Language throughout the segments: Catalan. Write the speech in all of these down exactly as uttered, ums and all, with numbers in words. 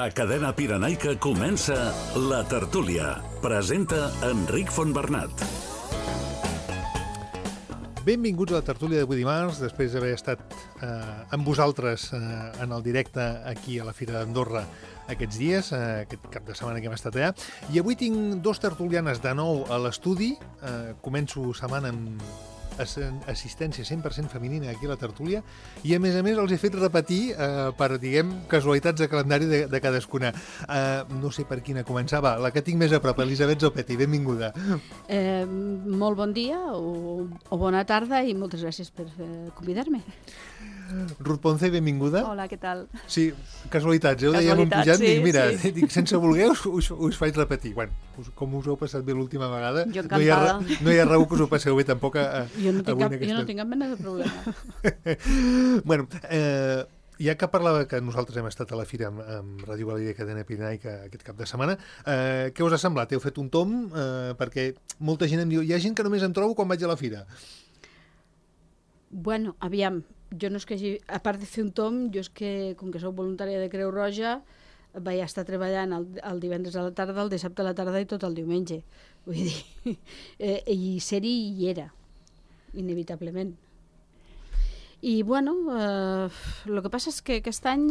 A Cadena Pirenaica comença La Tertúlia. Presenta Enric Fontbernat. Benvinguts a La Tertúlia d'avui dimarts, després d'haver estat eh, amb vosaltres eh, en el directe aquí a la Fira d'Andorra aquests dies, eh, aquest cap de setmana que hem estat allà. I avui tinc dos tertulianes de nou a l'estudi. Eh, començo setmana amb assistència cent per cent femenina aquí a la tertúlia i a més a més els he fet repetir eh, per, diguem, casualitats de calendari de, de cadascuna. Eh, no sé per quina començava, la que tinc més a prop, Elisabet Zopetti, benvinguda. Eh, molt bon dia o, o bona tarda i moltes gràcies per eh, convidar-me. Ruth Ponce, benvinguda. Hola, què tal? Sí, casualitats, eh? Ho dèiem en pujant, sí, dic, mira, sí. dic, sense voler us, us, us faig repetir. Bueno, us, com us heu passat bé l'última vegada, jo no hi, ha, no hi ha raó que us ho passeu bé tampoc a, jo no tinc avui cap, aquesta... Jo no tinc cap mena de problema. bueno, eh, ja que parlava que nosaltres hem estat a la fira amb, amb Ràdio València Cadena Pirenaica aquest cap de setmana, eh, què us ha semblat? Heu fet un tom? Eh, perquè molta gent em diu, hi ha gent que només em trobo quan vaig a la fira. Bueno, aviam, jo no és que hagi, a part de fer un tom, jo és que, com que sóc voluntària de Creu Roja, vaig estar treballant el, el divendres a la tarda, el dissabte a la tarda i tot el diumenge. Vull dir, eh, i ser-hi hi era, inevitablement. I, bueno, eh, el que passa és que aquest any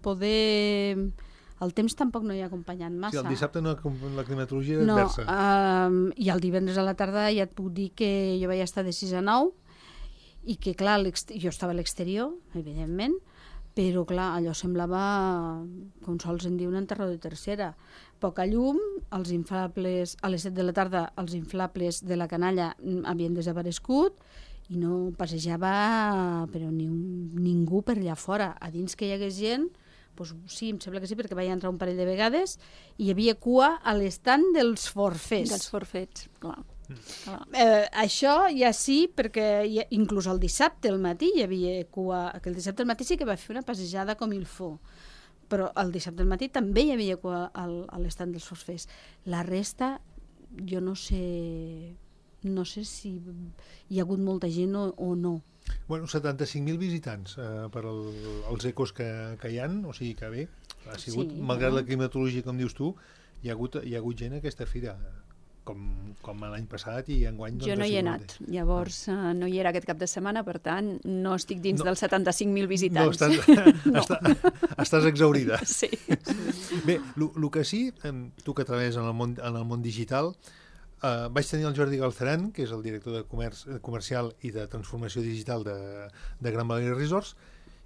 poder... El temps tampoc no hi ha acompanyat massa. Sí, el dissabte no, la climatologia era no, adversa. Uh, I el divendres a la tarda ja et puc dir que jo vaig estar de sis a nou i que, clar, jo estava a l'exterior, evidentment, però, clar, allò semblava, com sols en diu, un enterró de tercera. Poca llum, els inflables, a les set de la tarda, els inflables de la canalla havien desaparegut i no passejava però ni un, ningú per allà fora. A dins que hi hagués gent, doncs sí, em sembla que sí, perquè vaig entrar un parell de vegades i hi havia cua a l'estand dels forfets. Dels forfets, clar. Clar. Eh, això ja sí, perquè ja, inclús el dissabte al matí hi havia cua, que el dissabte al matí sí que va fer una passejada com il faut, però el dissabte al matí també hi havia cua al, a l'estand dels forfets. La resta, jo no sé, no sé si hi ha hagut molta gent o, o no. Bueno, setanta-cinc mil visitants eh, per el, els ecos que, que hi ha, o sigui que bé, ha sigut, sí, malgrat no? La climatologia, com dius tu, hi ha hagut, hi ha hagut gent a aquesta fira, com, com l'any passat i enguany... Jo doncs, no hi he anat, llavors uh, no hi era aquest cap de setmana, per tant, no estic dins no. dels setanta-cinc mil visitants. No, estàs, no. Estàs, estàs exhaurida. Sí. Bé, el que sí, tu que treballes en el món, en el món digital, Uh, vaig tenir el Jordi Galceran, que és el director de comerç, comercial i de transformació digital de, de Gran Valira Resorts,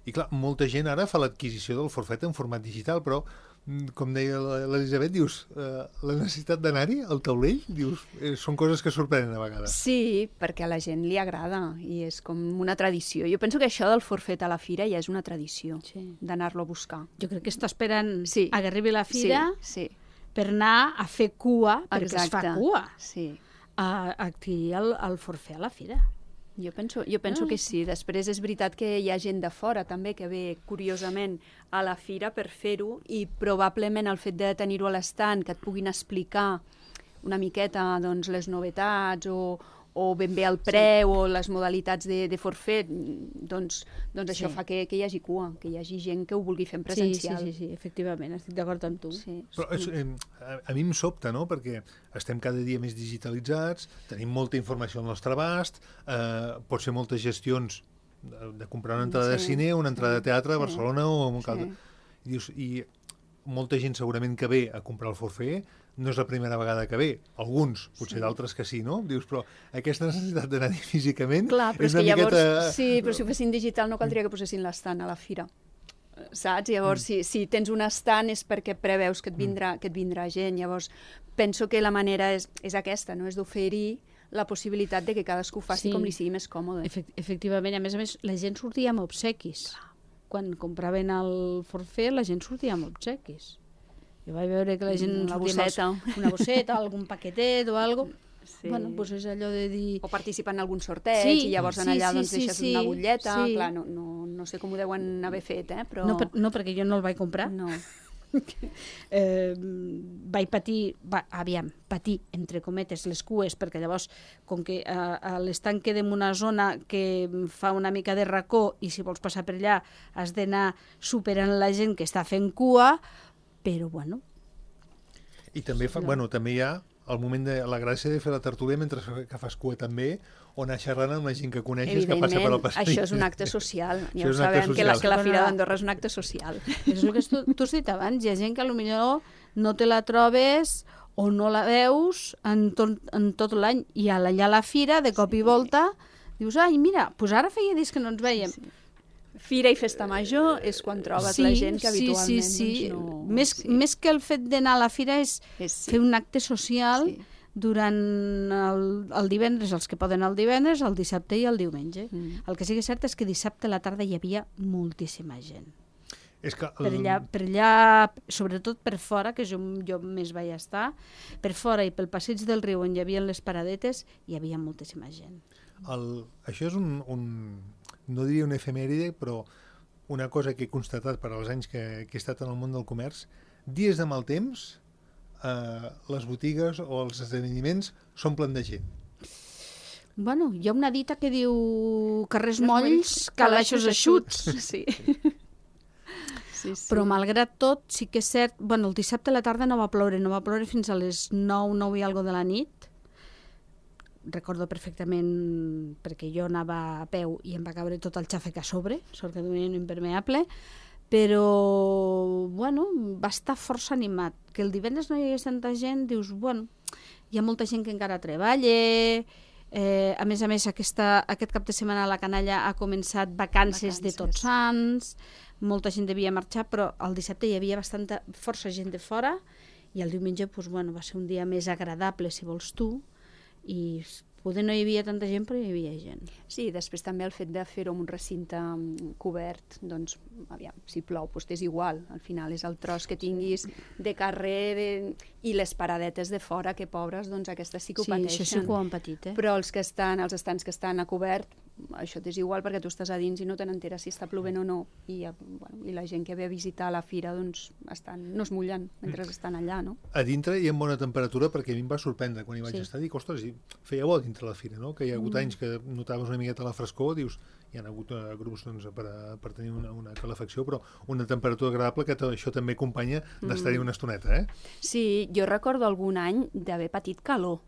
i clar, molta gent ara fa l'adquisició del forfet en format digital, però com deia l'Elisabet, dius, uh, la necessitat d'anar-hi al taulell, dius, eh, són coses que sorprenen a vegades. Sí, perquè a la gent li agrada i és com una tradició. Jo penso que això del forfet a la fira ja és una tradició, sí. d'anar-lo a buscar. Jo crec que està esperant sí. a que arribi la fira... Sí, sí. per anar a fer cua, perquè Exacte. es fa cua, sí. a, a adquirir el, el forfet a la fira. Jo penso, jo penso ah. que sí. Després és veritat que hi ha gent de fora també que ve curiosament a la fira per fer-ho i probablement el fet de tenir-ho a l'estand, que et puguin explicar una miqueta doncs, les novetats o, o ben bé el preu sí. o les modalitats de, de forfet, doncs, doncs sí. això fa que, que hi hagi cua, que hi hagi gent que ho vulgui fer en presencial. Sí, sí, sí, sí, efectivament, estic d'acord amb tu. Sí. Però és, eh, a mi em sobta, no?, perquè estem cada dia més digitalitzats, tenim molta informació al nostre abast, eh, pot ser moltes gestions de, de comprar una entrada sí, de cine, una entrada sí, de teatre a sí, Barcelona o a un sí. I, dius, i molta gent segurament que ve a comprar el forfet no és la primera vegada que ve. Alguns, potser sí. d'altres que sí, no? Dius, però aquesta necessitat d'anar-hi físicament... Clar, però és és que miqueta... llavors... Sí, però si ho fessin digital no caldria que posessin l'estant a la fira. Saps? Llavors, mm. si, si tens un estant és perquè preveus que et vindrà, que et vindrà gent. Llavors, penso que la manera és, és aquesta, no? És d'oferir la possibilitat de que cadascú faci sí. com li sigui més còmode. Efect efectivament, a més a més, la gent sortia amb obsequis. Quan compraven el forfet, la gent sortia amb obsequis. Jo vaig veure que la gent... Una bosseta. Els, una bosseta, algun paquetet o alguna cosa. Sí. Bueno, doncs és allò de dir... O participar en algun sorteig sí, i llavors en sí, allà sí, doncs, sí, deixes sí, una butlleta. sí. Clar, no, no, no sé com ho deuen haver fet, eh? Però... No, per, no, perquè jo no el vaig comprar. No. eh, vaig patir, va, aviam, patir, entre cometes, les cues, perquè llavors, com que a, a l'estanc queda en una zona que fa una mica de racó i si vols passar per allà has d'anar superant la gent que està fent cua, però bueno. I també, fa, bueno, també hi ha el moment de la gràcia de fer la tertúlia mentre que fas cua també, o anar xerrant amb la gent que coneixes que passa per al passeig. Això és un acte social. Ja ho sabem, que la, que la Fira d'Andorra és un acte social. És el que tu, tu has dit abans, hi ha gent que potser no te la trobes o no la veus en tot, en tot l'any, i allà a la fira, de cop i volta, dius, ai, mira, doncs ara feia dies que no ens veiem. Sí. Fira i festa major és quan trobes sí, la gent que habitualment sí, sí, sí. Doncs no... Més, sí. més que el fet d'anar a la fira és, és sí. fer un acte social sí. durant el, el divendres, els que poden el divendres, el dissabte i el diumenge. Mm. El que sí que és cert és que dissabte a la tarda hi havia moltíssima gent. És que el... per, allà, per allà, sobretot per fora, que jo, jo més vaig estar, per fora i pel passeig del riu on hi havia les paradetes, hi havia moltíssima gent. El, això és un, un, no diria una efemèride, però una cosa que he constatat per als anys que, que he estat en el món del comerç. Dies de mal temps, eh, les botigues o els esdeveniments s'omplen de gent. Bueno, hi ha una dita que diu carrers molls, calaixos eixuts. Sí. Sí, sí. Però malgrat tot, sí que és cert, bueno, el dissabte a la tarda no va ploure, no va ploure fins a les nou, nou i algo de la nit. Recordo perfectament perquè jo anava a peu i em va caure tot el xàfec a sobre, sort que duia un impermeable, però, bueno, va estar força animat. Que el divendres no hi hagués tanta gent, dius, bueno, hi ha molta gent que encara treballa, eh, a més a més aquesta, aquest cap de setmana a la Canalla ha començat vacances, vacances de Tots Sants, molta gent devia marxar, però el dissabte hi havia bastanta, força gent de fora, i el diumenge doncs, bueno, va ser un dia més agradable, si vols tu, i poder no hi havia tanta gent, però hi havia gent. Sí, després també el fet de fer-ho en un recinte cobert, doncs, aviam, si plou, doncs és igual, al final és el tros que tinguis de carrer de... i les paradetes de fora, que pobres, doncs aquestes sí que ho sí, pateixen. Sí, això sí que ho han patit, eh? Però els que estan, els estants que estan a cobert, això t'és igual perquè tu estàs a dins i no te n'enteres si està plovent o no, i, bueno, i la gent que ve a visitar la fira doncs estan, no es mullen mentre estan allà, no? A dintre hi ha bona temperatura, perquè a mi em va sorprendre quan hi vaig sí. estar, dic, ostres, feia bo dintre la fira, no? Que hi ha hagut mm. anys que notaves una miqueta la frescor, dius, hi ha hagut uh, grups doncs, per, a, per tenir una, una calefacció, però una temperatura agradable, que això també acompanya d'estar-hi una estoneta, eh? Sí, jo recordo algun any d'haver patit calor.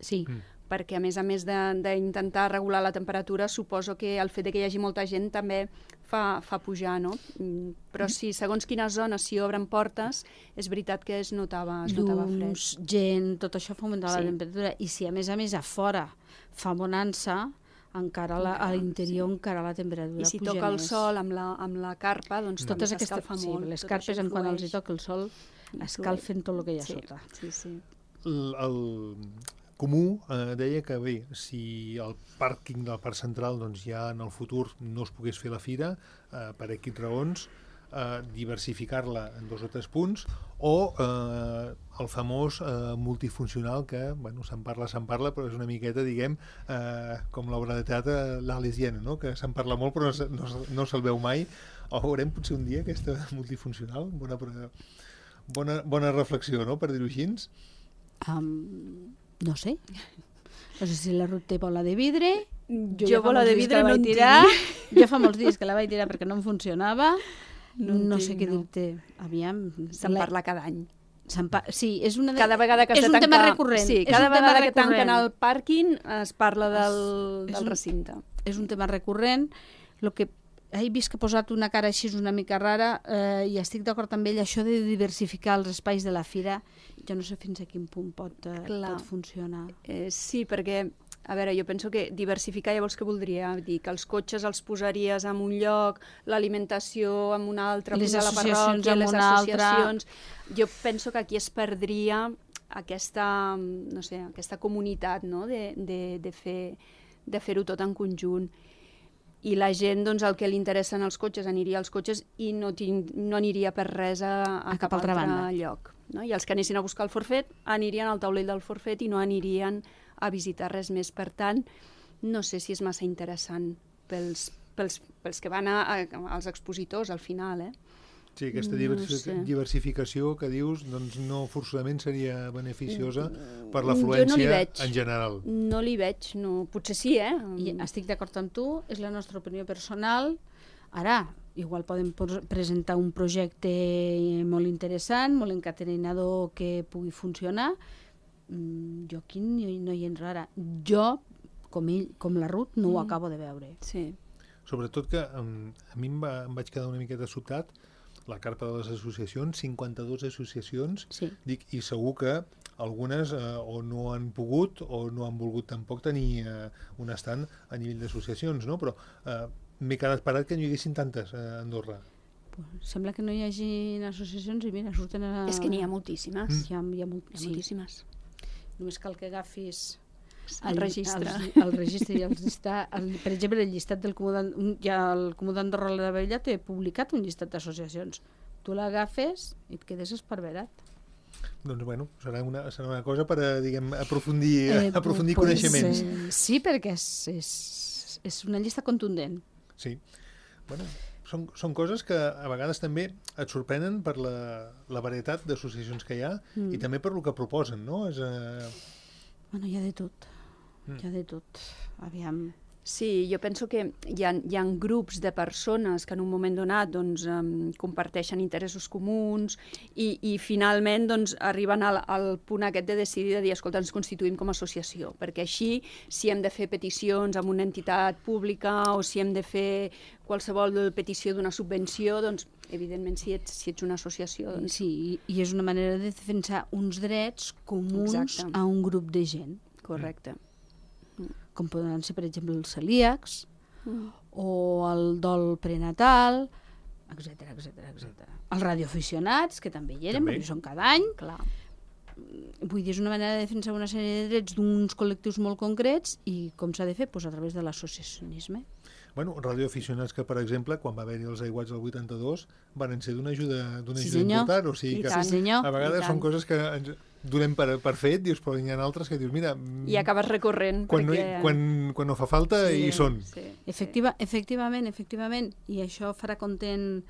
Sí. Mm. Perquè a més a més d'intentar regular la temperatura, suposo que el fet de que hi hagi molta gent també fa, fa pujar, no? Però sí, segons quines zones, si obren portes, és veritat que es notava, es notava fred. Llums, gent, tot això fa augmentar sí. la temperatura. I si a més a més a fora fa bonança, encara la, a l'interior sí. encara la temperatura puja més. I si toca el sol amb la, amb la carpa, doncs mm. també s'escalfa sí, molt. Les carpes, en quan els hi toca el sol, escalfen tot el que hi ha sí. sota. Sí, sí. El, el Comú eh, deia que bé, si el pàrquing del Parc Central doncs, ja en el futur no es pogués fer la fira, eh, per equips raons, eh, diversificar-la en dos o tres punts, o eh, el famós eh, multifuncional, que bueno, se'n parla, se'n parla, però és una miqueta, diguem, eh, com l'obra de teatre l'Alesiana, no? Que se'n parla molt però no, no, no se'l veu mai. O veurem potser un dia aquesta multifuncional? Bona, bona, bona reflexió, no?, per dir-ho així. Um... No sé. No sé si la Ruth té bola de vidre. Jo, jo bola de vidre no en tirar. Jo fa molts dies que la vaig tirar perquè no em funcionava. No, no sé què no. dir-te. Aviam. Se'n la... parla cada any. Pa... Sí, és una de... Cada vegada que és un tanca... tema recurrent. Sí, cada vegada que tanquen el pàrquing es parla del, és del un, recinte. És un tema recurrent. Lo que he vist que ha posat una cara així una mica rara eh, i estic d'acord amb ell, això de diversificar els espais de la fira, jo no sé fins a quin punt pot, eh, pot funcionar. Eh, sí, perquè, a veure, jo penso que diversificar llavors què voldria dir? Que els cotxes els posaries en un lloc, l'alimentació en un altre, les posar la parròquia, les associacions... Altra... Jo penso que aquí es perdria aquesta, no sé, aquesta comunitat, no?, de, de, de fer de fer-ho tot en conjunt. I la gent, doncs, el que li interessen els cotxes, aniria als cotxes i no, tinc, no aniria per res a, a, a cap, cap altre banda. lloc. No? I els que anessin a buscar el forfet anirien al taulell del forfet i no anirien a visitar res més. Per tant, no sé si és massa interessant pels, pels, pels que van a, a, als expositors al final, eh? Sí, aquesta diversific no diversificació que dius doncs no forçosament seria beneficiosa per l'afluència no en general. No li veig, no. Potser sí, eh? I estic d'acord amb tu, és la nostra opinió personal. Ara, igual podem presentar un projecte molt interessant, molt encatenador que pugui funcionar. Jo aquí no hi entro ara. Jo, com, ell, com la Ruth, no ho mm. acabo de veure. Sí. Sobretot que um, a mi em, va, em vaig quedar una miqueta sobtat la carpa de les associacions, cinquanta-dues associacions, sí. Dic, i segur que algunes eh, o no han pogut o no han volgut tampoc tenir eh, un estand a nivell d'associacions, no? Però eh, m'he quedat parat que no hi haguessin tantes a Andorra. Sembla que no hi hagi associacions i mira, surten a... És que n'hi ha moltíssimes. Mm. Hi ha, hi ha, molt... hi ha moltíssimes. Sí. Només cal que agafis el, el registre. El, el registre i el llistat, el, per exemple, el llistat del Comú d'Andorra, ja el Comú d'Andorra la Vella té publicat un llistat d'associacions. Tu l'agafes i et quedes esparverat. Doncs bueno, serà una, serà una cosa per a, diguem, aprofundir, eh, aprofundir pues, coneixements. Eh, sí, perquè és, és, és una llista contundent. Sí. Bueno, són, són coses que a vegades també et sorprenen per la, la varietat d'associacions que hi ha mm. i també per el que proposen, no? És, eh... Bueno, hi ha de tot. Mm. Hi ha de tot. Aviam... Sí, jo penso que hi ha, hi ha grups de persones que en un moment donat doncs, um, comparteixen interessos comuns i, i finalment doncs, arriben al, al punt aquest de decidir de dir, escolta, ens constituïm com a associació, perquè així si hem de fer peticions amb una entitat pública o si hem de fer qualsevol petició d'una subvenció, doncs evidentment si ets, si ets una associació... Doncs... Sí, i, i és una manera de defensar uns drets comuns Exacte. A un grup de gent. Correcte. Com poden ser, per exemple, els celíacs mm. o el dol prenatal, etcètera, etcètera, etcètera. Els radioaficionats, que també hi eren, també. Perquè són cada any. Clar. Vull dir, és una manera de defensar una sèrie de drets d'uns col·lectius molt concrets i com s'ha de fer? Pues a través de l'associacionisme. Bueno, radioaficionats que, per exemple, quan va haver-hi els aiguats del vuitanta-dos, van ser d'una ajuda, d'una sí, ajuda important. O sigui que sí, a vegades són coses que ens donem per, per fet, dius, però hi ha altres que dius, mira... I acabes recorrent. Quan, perquè... no, hi, quan, quan no fa falta, sí, hi són. Sí, Efectiva, efectivament, efectivament. I això farà content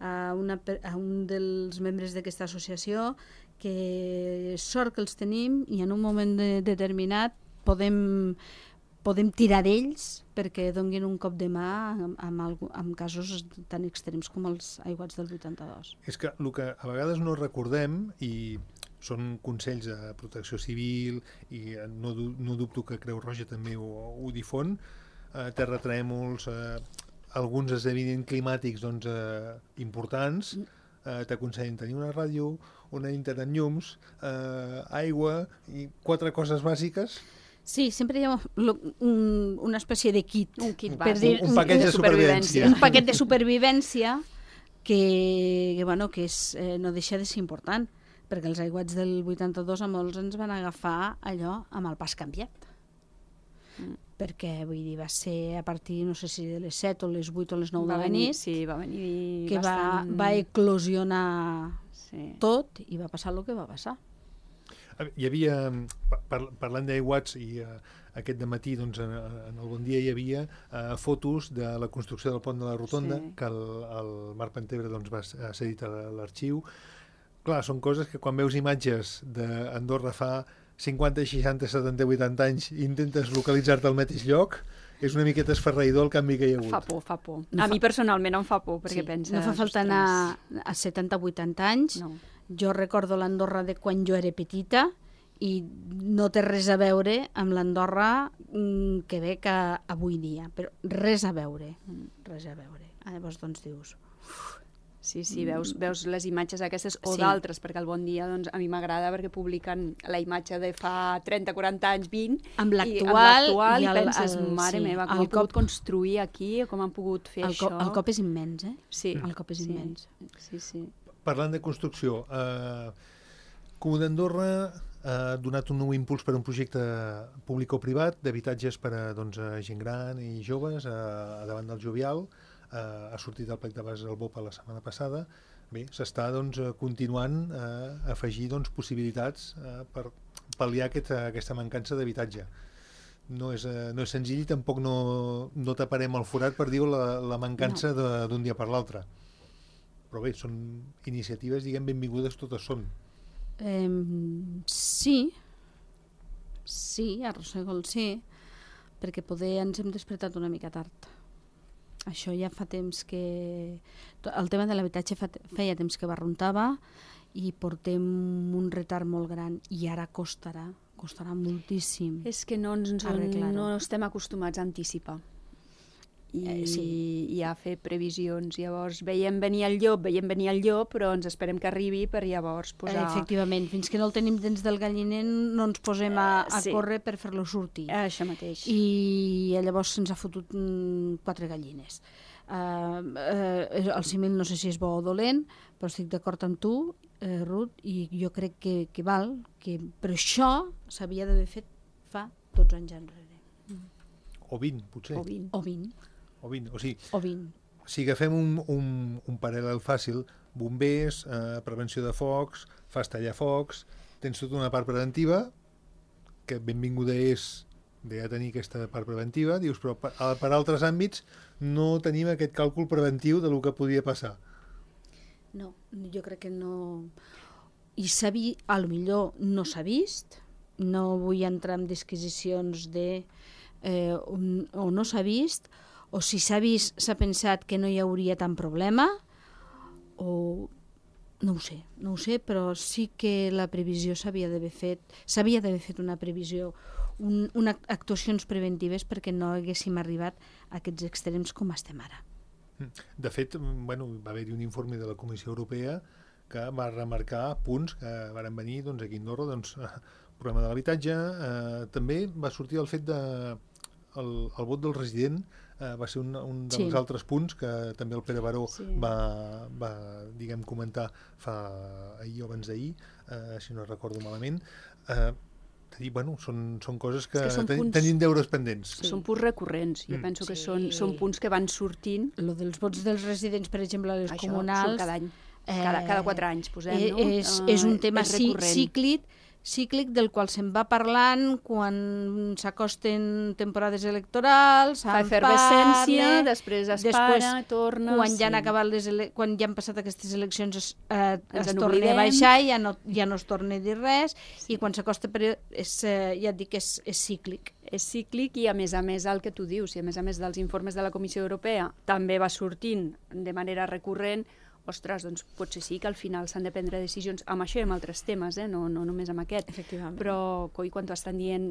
a, una, a un dels membres d'aquesta associació, que sort que els tenim i en un moment de, determinat podem... podem tirar d'ells perquè donguin un cop de mà amb, amb, amb casos tan extrems com els aiguats del vuitanta-dos. És que el que a vegades no recordem, i són consells de protecció civil, i no, no dubto que Creu Roja també ho, ho difon, eh, terratrèmols, eh, alguns esdeveniments climàtics doncs, eh, importants, eh, t'aconsellen tenir una ràdio, una internet llums, eh, aigua i quatre coses bàsiques. Sí, sempre hi ha un, una espècie de kit. Un kit per bàsic. dir, un, un paquet de supervivència. Un paquet de supervivència que, que, bueno, que és, eh, no deixa de ser important, perquè els aiguats del vuitanta-dos a molts ens van agafar allò amb el pas canviat. Mm. Perquè, vull dir, va ser a partir, no sé si de les set o les vuit o les nou de la nit, sí, va venir que bastant... va, va eclosionar sí. tot i va passar el que va passar. Hi havia, par parlant d'aiguats, i uh, aquest dematí doncs, en, en el Bon Dia hi havia uh, fotos de la construcció del pont de la Rotonda, sí. que el, el Marc Pentebre doncs, va ser dit a l'arxiu. Clar, són coses que quan veus imatges d'Andorra fa cinquanta, seixanta, setanta, vuitanta anys i intentes localitzar-te al mateix lloc, és una miqueta esferraïdor el canvi que hi ha hagut. Fa por, fa por. No a fa... mi personalment em fa por, perquè sí, penses... No fa falta anar a setanta, vuitanta anys. No. Jo recordo l'Andorra de quan jo era petita i no té res a veure amb l'Andorra que ve que avui dia, però res a veure, res a veure. Llavors, doncs, dius... Sí, sí, veus, veus les imatges aquestes o sí. d'altres, perquè el Bon Dia doncs, a mi m'agrada perquè publiquen la imatge de fa trenta, quaranta anys, vint, amb l'actual i, i, i el, penses, el, mare sí, meva, com han cop, pogut construir aquí, com han pogut fer el això. Cop, el cop és immens, eh? Sí. El cop és sí. immens. Sí, sí. Parlant de construcció, eh, Comú d'Andorra ha donat un nou impuls per a un projecte públic o privat d'habitatges per a, doncs, a gent gran i joves a, a davant del Jovial. Uh, ha sortit el plec de bases al B O P la setmana passada. Bé, s'està doncs, continuant a uh, afegir doncs, possibilitats uh, per pal·liar aquest, uh, aquesta mancança d'habitatge. No és, uh, no és senzill i tampoc no, no taparem el forat per dir la, la mancança no. d'un dia per l'altre. Però bé, són iniciatives, diguem, benvingudes totes són. Eh, sí, sí, arrossego el sí, perquè poder ens hem despertat una mica tard. Això ja fa temps que... El tema de l'habitatge feia temps que barruntava i portem un retard molt gran i ara costarà, costarà moltíssim. És que no, ens, no estem acostumats a anticipar i, eh, sí. i a fer previsions. Llavors veiem venir el llop, veiem venir el llop, però ens esperem que arribi per llavors posar... Efectivament, fins que no el tenim dins del galliner no ens posem a, a sí. córrer per fer-lo sortir. Això mateix. I llavors se'ns ha fotut mm, quatre gallines. Uh, uh, el símil no sé si és bo o dolent, però estic d'acord amb tu, uh, Ruth, i jo crec que, que val, que... però això s'havia d'haver fet fa dotze anys enrere. Mm. O vint, potser. O vint. O vint. O vint, o sigui, o vint. Si agafem un, un, un paral·lel fàcil, bombers, eh, prevenció de focs, fas tallar focs, tens tota una part preventiva, que benvinguda és de ja tenir aquesta part preventiva, dius, però per, per altres àmbits no tenim aquest càlcul preventiu de lo que podia passar. No, jo crec que no... I s'ha vist, a lo millor no s'ha vist, no vull entrar en disquisicions de eh, un, o no s'ha vist, o si s'ha vist s'ha pensat que no hi hauria tant problema, o no ho sé, no ho sé, però sí que la previsió s'havia d'haver fet, s'havia d'haver fet una previsió, un, una actuacions preventives perquè no haguéssim arribat a aquests extrems com estem ara. De fet, bueno, va haver-hi un informe de la Comissió Europea que va remarcar punts que van venir doncs, aquí a Andorra, doncs, el problema de l'habitatge, eh, també va sortir el fet de el, el vot del resident, eh, va ser un, un dels sí. altres punts que també el Pere Baró sí. va, va diguem, comentar fa ahir o abans d'ahir, eh, si no recordo malament. Eh, dir, bueno, són, són coses que, que ten, punts, tenim deures pendents. Sí. Són punts recurrents. Jo mm. penso que sí. són, són punts que van sortint. Lo dels vots dels residents, per exemple, a les Això comunals... cada any. Eh, cada, cada quatre anys posem, eh, no? És, és un tema és cíclic, cíclic del qual se'n va parlant quan s'acosten temporades electorals, fa efervescència, després es després, para, torna... Quan, sí. ja han acabat les ele... quan ja han passat aquestes eleccions es, eh, es torna a baixar, ja no, ja no es torna a dir res, sí. i quan s'acosta per... És, eh, ja et dic que és, és cíclic. És cíclic i a més a més el que tu dius, i a més a més dels informes de la Comissió Europea també va sortint de manera recurrent. Ostres, doncs potser sí que al final s'han de prendre decisions amb això i amb altres temes, eh? no, no només amb aquest. Efectivament. Però, coi, quan t'ho estan dient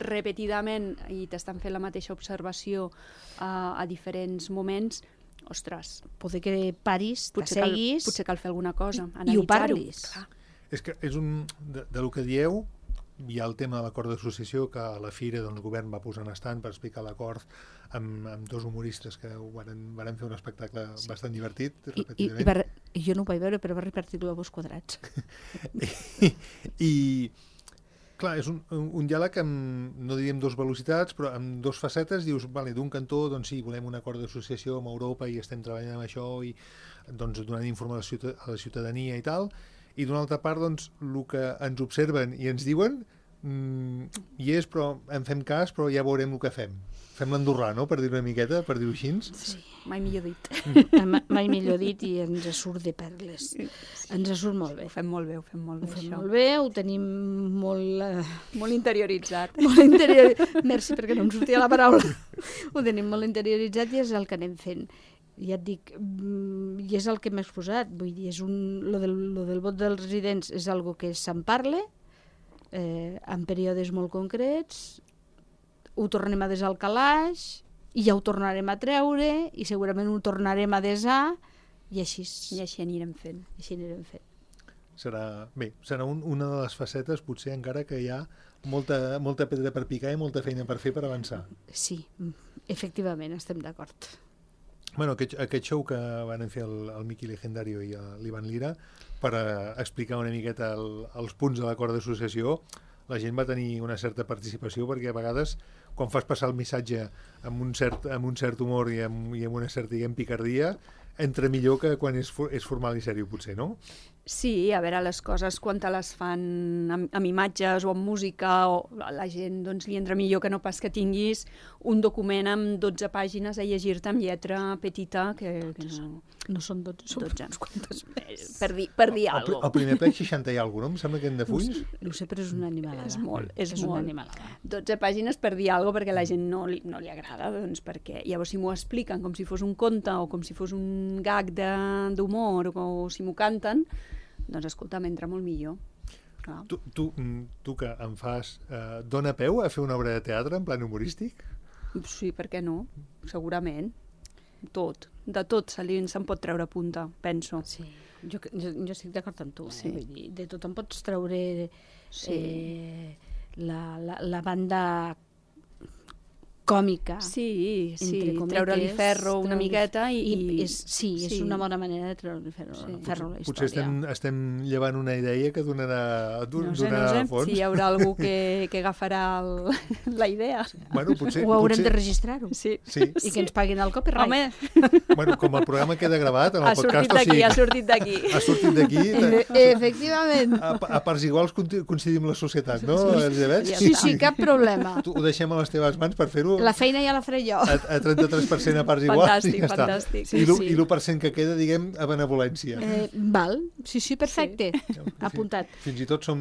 repetidament i t'estan fent la mateixa observació uh, a diferents moments, ostres... Poder que paris, t'asseguis... Potser cal fer alguna cosa, i ho parlis. Clar. És que és un... De, de lo que dieu, hi ha el tema de l'acord d'associació, que a la Fira doncs, el govern va posar en estant per explicar l'acord amb, amb dos humoristes que varen, varen fer un espectacle sí. bastant divertit. I, i, i va, jo no ho vaig veure, però va repartir globus quadrats. I, I, clar, és un, un diàleg amb, no diríem dos velocitats, però amb dos facetes. Dius, vale, d'un cantó, doncs sí, volem un acord d'associació amb Europa i estem treballant amb això i doncs, donant informació a la ciutadania i tal. I d'una altra part, doncs, el que ens observen i ens diuen mm, hi és, però en fem cas, però ja veurem el que fem. Fem l'andorrà, no?, per dir una miqueta, per dir-ho així. Sí, mai millor dit. Mm. Mai millor dit i ens surt de perles. Sí. Ens surt molt bé. Ho fem molt bé, ho fem molt bé, ho fem això. molt bé, ho tenim molt... Uh... Molt interioritzat. Molt interioritzat. Merci, perquè no em sortia la paraula. Ho tenim molt interioritzat i és el que anem fent. Ja et dic, i és el que m'he exposat, vull dir, és un, lo, del, lo del vot dels residents és algo que se'n parla, eh, en períodes molt concrets, ho tornem a desar al calaix, i ja ho tornarem a treure, i segurament ho tornarem a desar, i així, I així anirem fent. Així anirem fent. Serà, bé, serà un, una de les facetes, potser encara que hi ha molta, molta pedra per picar i molta feina per fer per avançar. Sí, efectivament, estem d'acord. Bueno, aquest, aquest show que van fer el, el Miqui Legendario i l'Ivan Lira per a explicar una miqueta el, els punts de l'acord d'associació, la gent va tenir una certa participació perquè a vegades quan fas passar el missatge amb un cert, amb un cert humor i amb, i amb una certa, diguem, picardia, entra millor que quan és, és formal i sèrio, potser, no? Sí, a veure, les coses quan te les fan amb, amb imatges o amb música, o la gent doncs, li entra millor que no pas que tinguis un document amb dotze pàgines a llegir-te amb lletra petita, que, que no... No són dotze, són dotze. uns quantes més. Per dir, per dir El, alguna el primer plec seixanta i alguna cosa, no? Em sembla que en de fulls. No ho sé, però és una animalada. És molt, és, és molt. una animalada. dotze pàgines per dir alguna cosa perquè a la gent no li, no li agrada, doncs perquè llavors si m'ho expliquen com si fos un conte o com si fos un gag d'humor o si m'ho canten, doncs escolta, m'entra molt millor. Clar. Tu, tu, tu que em fas... Eh, dona peu a fer una obra de teatre en plan humorístic? Sí, per què no? Segurament. Tot. De tot se li, se'n pot treure punta, penso. Sí, jo, jo, jo estic d'acord amb tu. Eh? Sí. Vull dir, de tot en pots treure Sí. eh, la, la, la banda còmica. Sí, sí, entre cometes, treure-li ferro una treure-li- miqueta i... I és, sí, sí. és una bona manera de treure-li ferro, Sí. ferro a la història. Potser estem, estem llevant una idea que donarà, No sé, no donarà sé, fons. si hi haurà algú que, que agafarà el, la idea. Bueno, potser, Ho haurem potser, de registrar-ho. Sí. Sí. I que ens paguin el copyright. Home, Bueno, com el programa queda gravat en el ha podcast, sortit o d'aquí, sigui, ha sortit d'aquí. ha sortit d'aquí. E efectivament. A, a parts iguals conti- coincidim la societat, no, Elisabet? Ja Sí, està. sí, cap problema. Tu, ho deixem a les teves mans per fer-ho La feina ja la faré jo. a, a trenta-tres per cent a parts iguals. Fantàstic, i ja està. fantàstic. Sí, I l'u sí. i l'u per cent que queda, diguem, a benevolència. Eh, val, sí, sí, perfecte. Apuntat. Fins i tot som,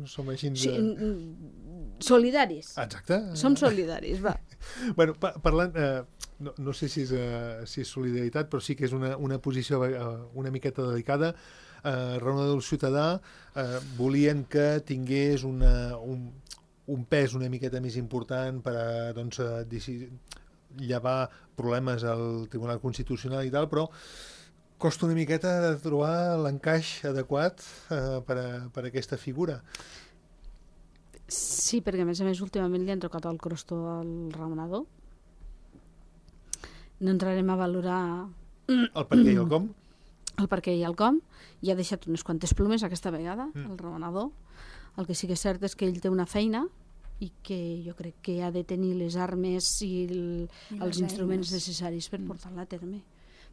som així... Sí, De... mm, solidaris. Exacte. Som solidaris, va. Bueno, pa parlant, eh, no, no sé si és, eh, si és solidaritat, però sí que és una, una posició eh, una miqueta delicada. Eh, Raonador Ciutadà eh, volien que tingués una, un, un pes una miqueta més important per a doncs, a deci- llevar problemes al Tribunal Constitucional i tal, però costa una miqueta de trobar l'encaix adequat eh, per, a, per a aquesta figura. Sí, perquè a més a més últimament li han tocat el crosto al raonador. No entrarem a valorar El per què i el com? el per què i el com. I ha deixat unes quantes plomes aquesta vegada, Mm. el raonador. El que sí que és cert és que ell té una feina i que jo crec que ha de tenir les armes i, el, I els les instruments eines. necessaris per Mm. portar-la a terme.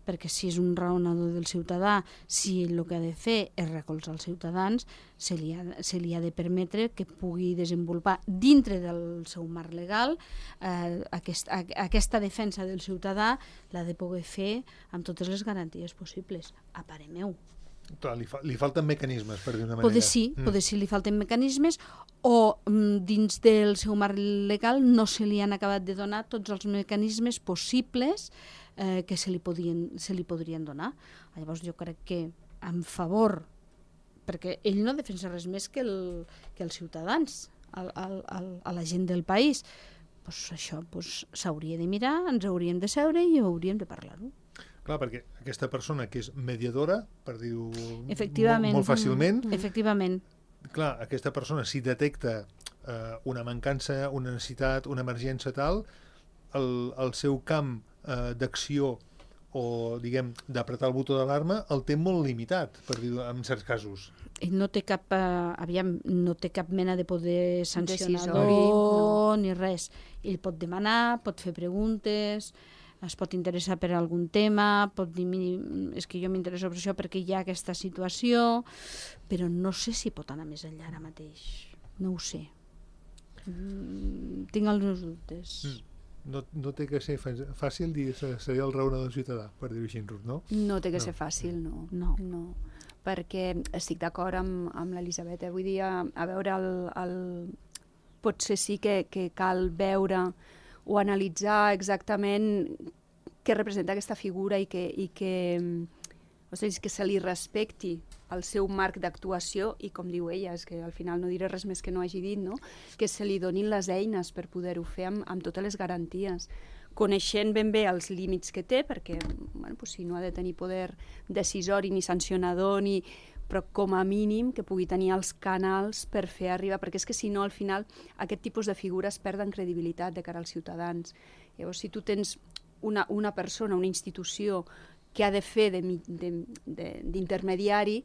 Perquè si és un raonador del ciutadà, si el que ha de fer és recolzar els ciutadans, se li ha, se li ha de permetre que pugui desenvolupar dintre del seu marc legal eh, aquest, a, aquesta defensa del ciutadà l'ha de poder fer amb totes les garanties possibles, a parer meu. Clar, li, fa, li falten mecanismes, per dir una manera. Poder sí, Mm. poder sí li falten mecanismes o mm, dins del seu marc legal no se li han acabat de donar tots els mecanismes possibles eh, que se li, podien, se li podrien donar. Llavors jo crec que en favor, perquè ell no defensa res més que, el, que els ciutadans, el, el, el, a la gent del país, pues això pues, s'hauria de mirar, ens hauríem de seure i hauríem de parlar-ho. Clar, perquè aquesta persona que és mediadora, per dir-ho Efectivament. molt, molt fàcilment, Mm. Efectivament. clar, aquesta persona si detecta eh, una mancança, una necessitat, una emergència tal, el, el seu camp eh, d'acció o, diguem, d'apretar el botó d'alarma el té molt limitat, per dir-ho en certs casos. Ell no té cap, eh, aviam, no té cap mena de poder sancionador Decisori, no. ni res. Ell pot demanar, pot fer preguntes, es pot interessar per algun tema, pot dir, "Miri, és que jo m'interesso per això perquè hi ha aquesta situació, però no sé si pot anar més enllà ara mateix. No ho sé. Mm, tinc els meus dubtes. Mm. No, no té que ser fa- fàcil dir que seria el raonador ciutadà, per dir-ho així, Ruth, no? No té que No. ser fàcil, no. No. no. Perquè estic d'acord amb, amb l'Elisabet. Eh? Vull dir, a, a veure, el, el... potser sí que, que cal veure o analitzar exactament què representa aquesta figura i que, i que, o sigui, que se li respecti el seu marc d'actuació i, com diu ella, és que al final no diré res més que no hagi dit, no? Que se li donin les eines per poder-ho fer amb, amb totes les garanties, coneixent ben bé els límits que té, perquè bueno, pues, si no ha de tenir poder decisori ni sancionador, ni... però com a mínim que pugui tenir els canals per fer arribar, perquè és que si no al final aquest tipus de figures perden credibilitat de cara als ciutadans. Llavors si tu tens una, una persona, una institució que ha de fer d'intermediari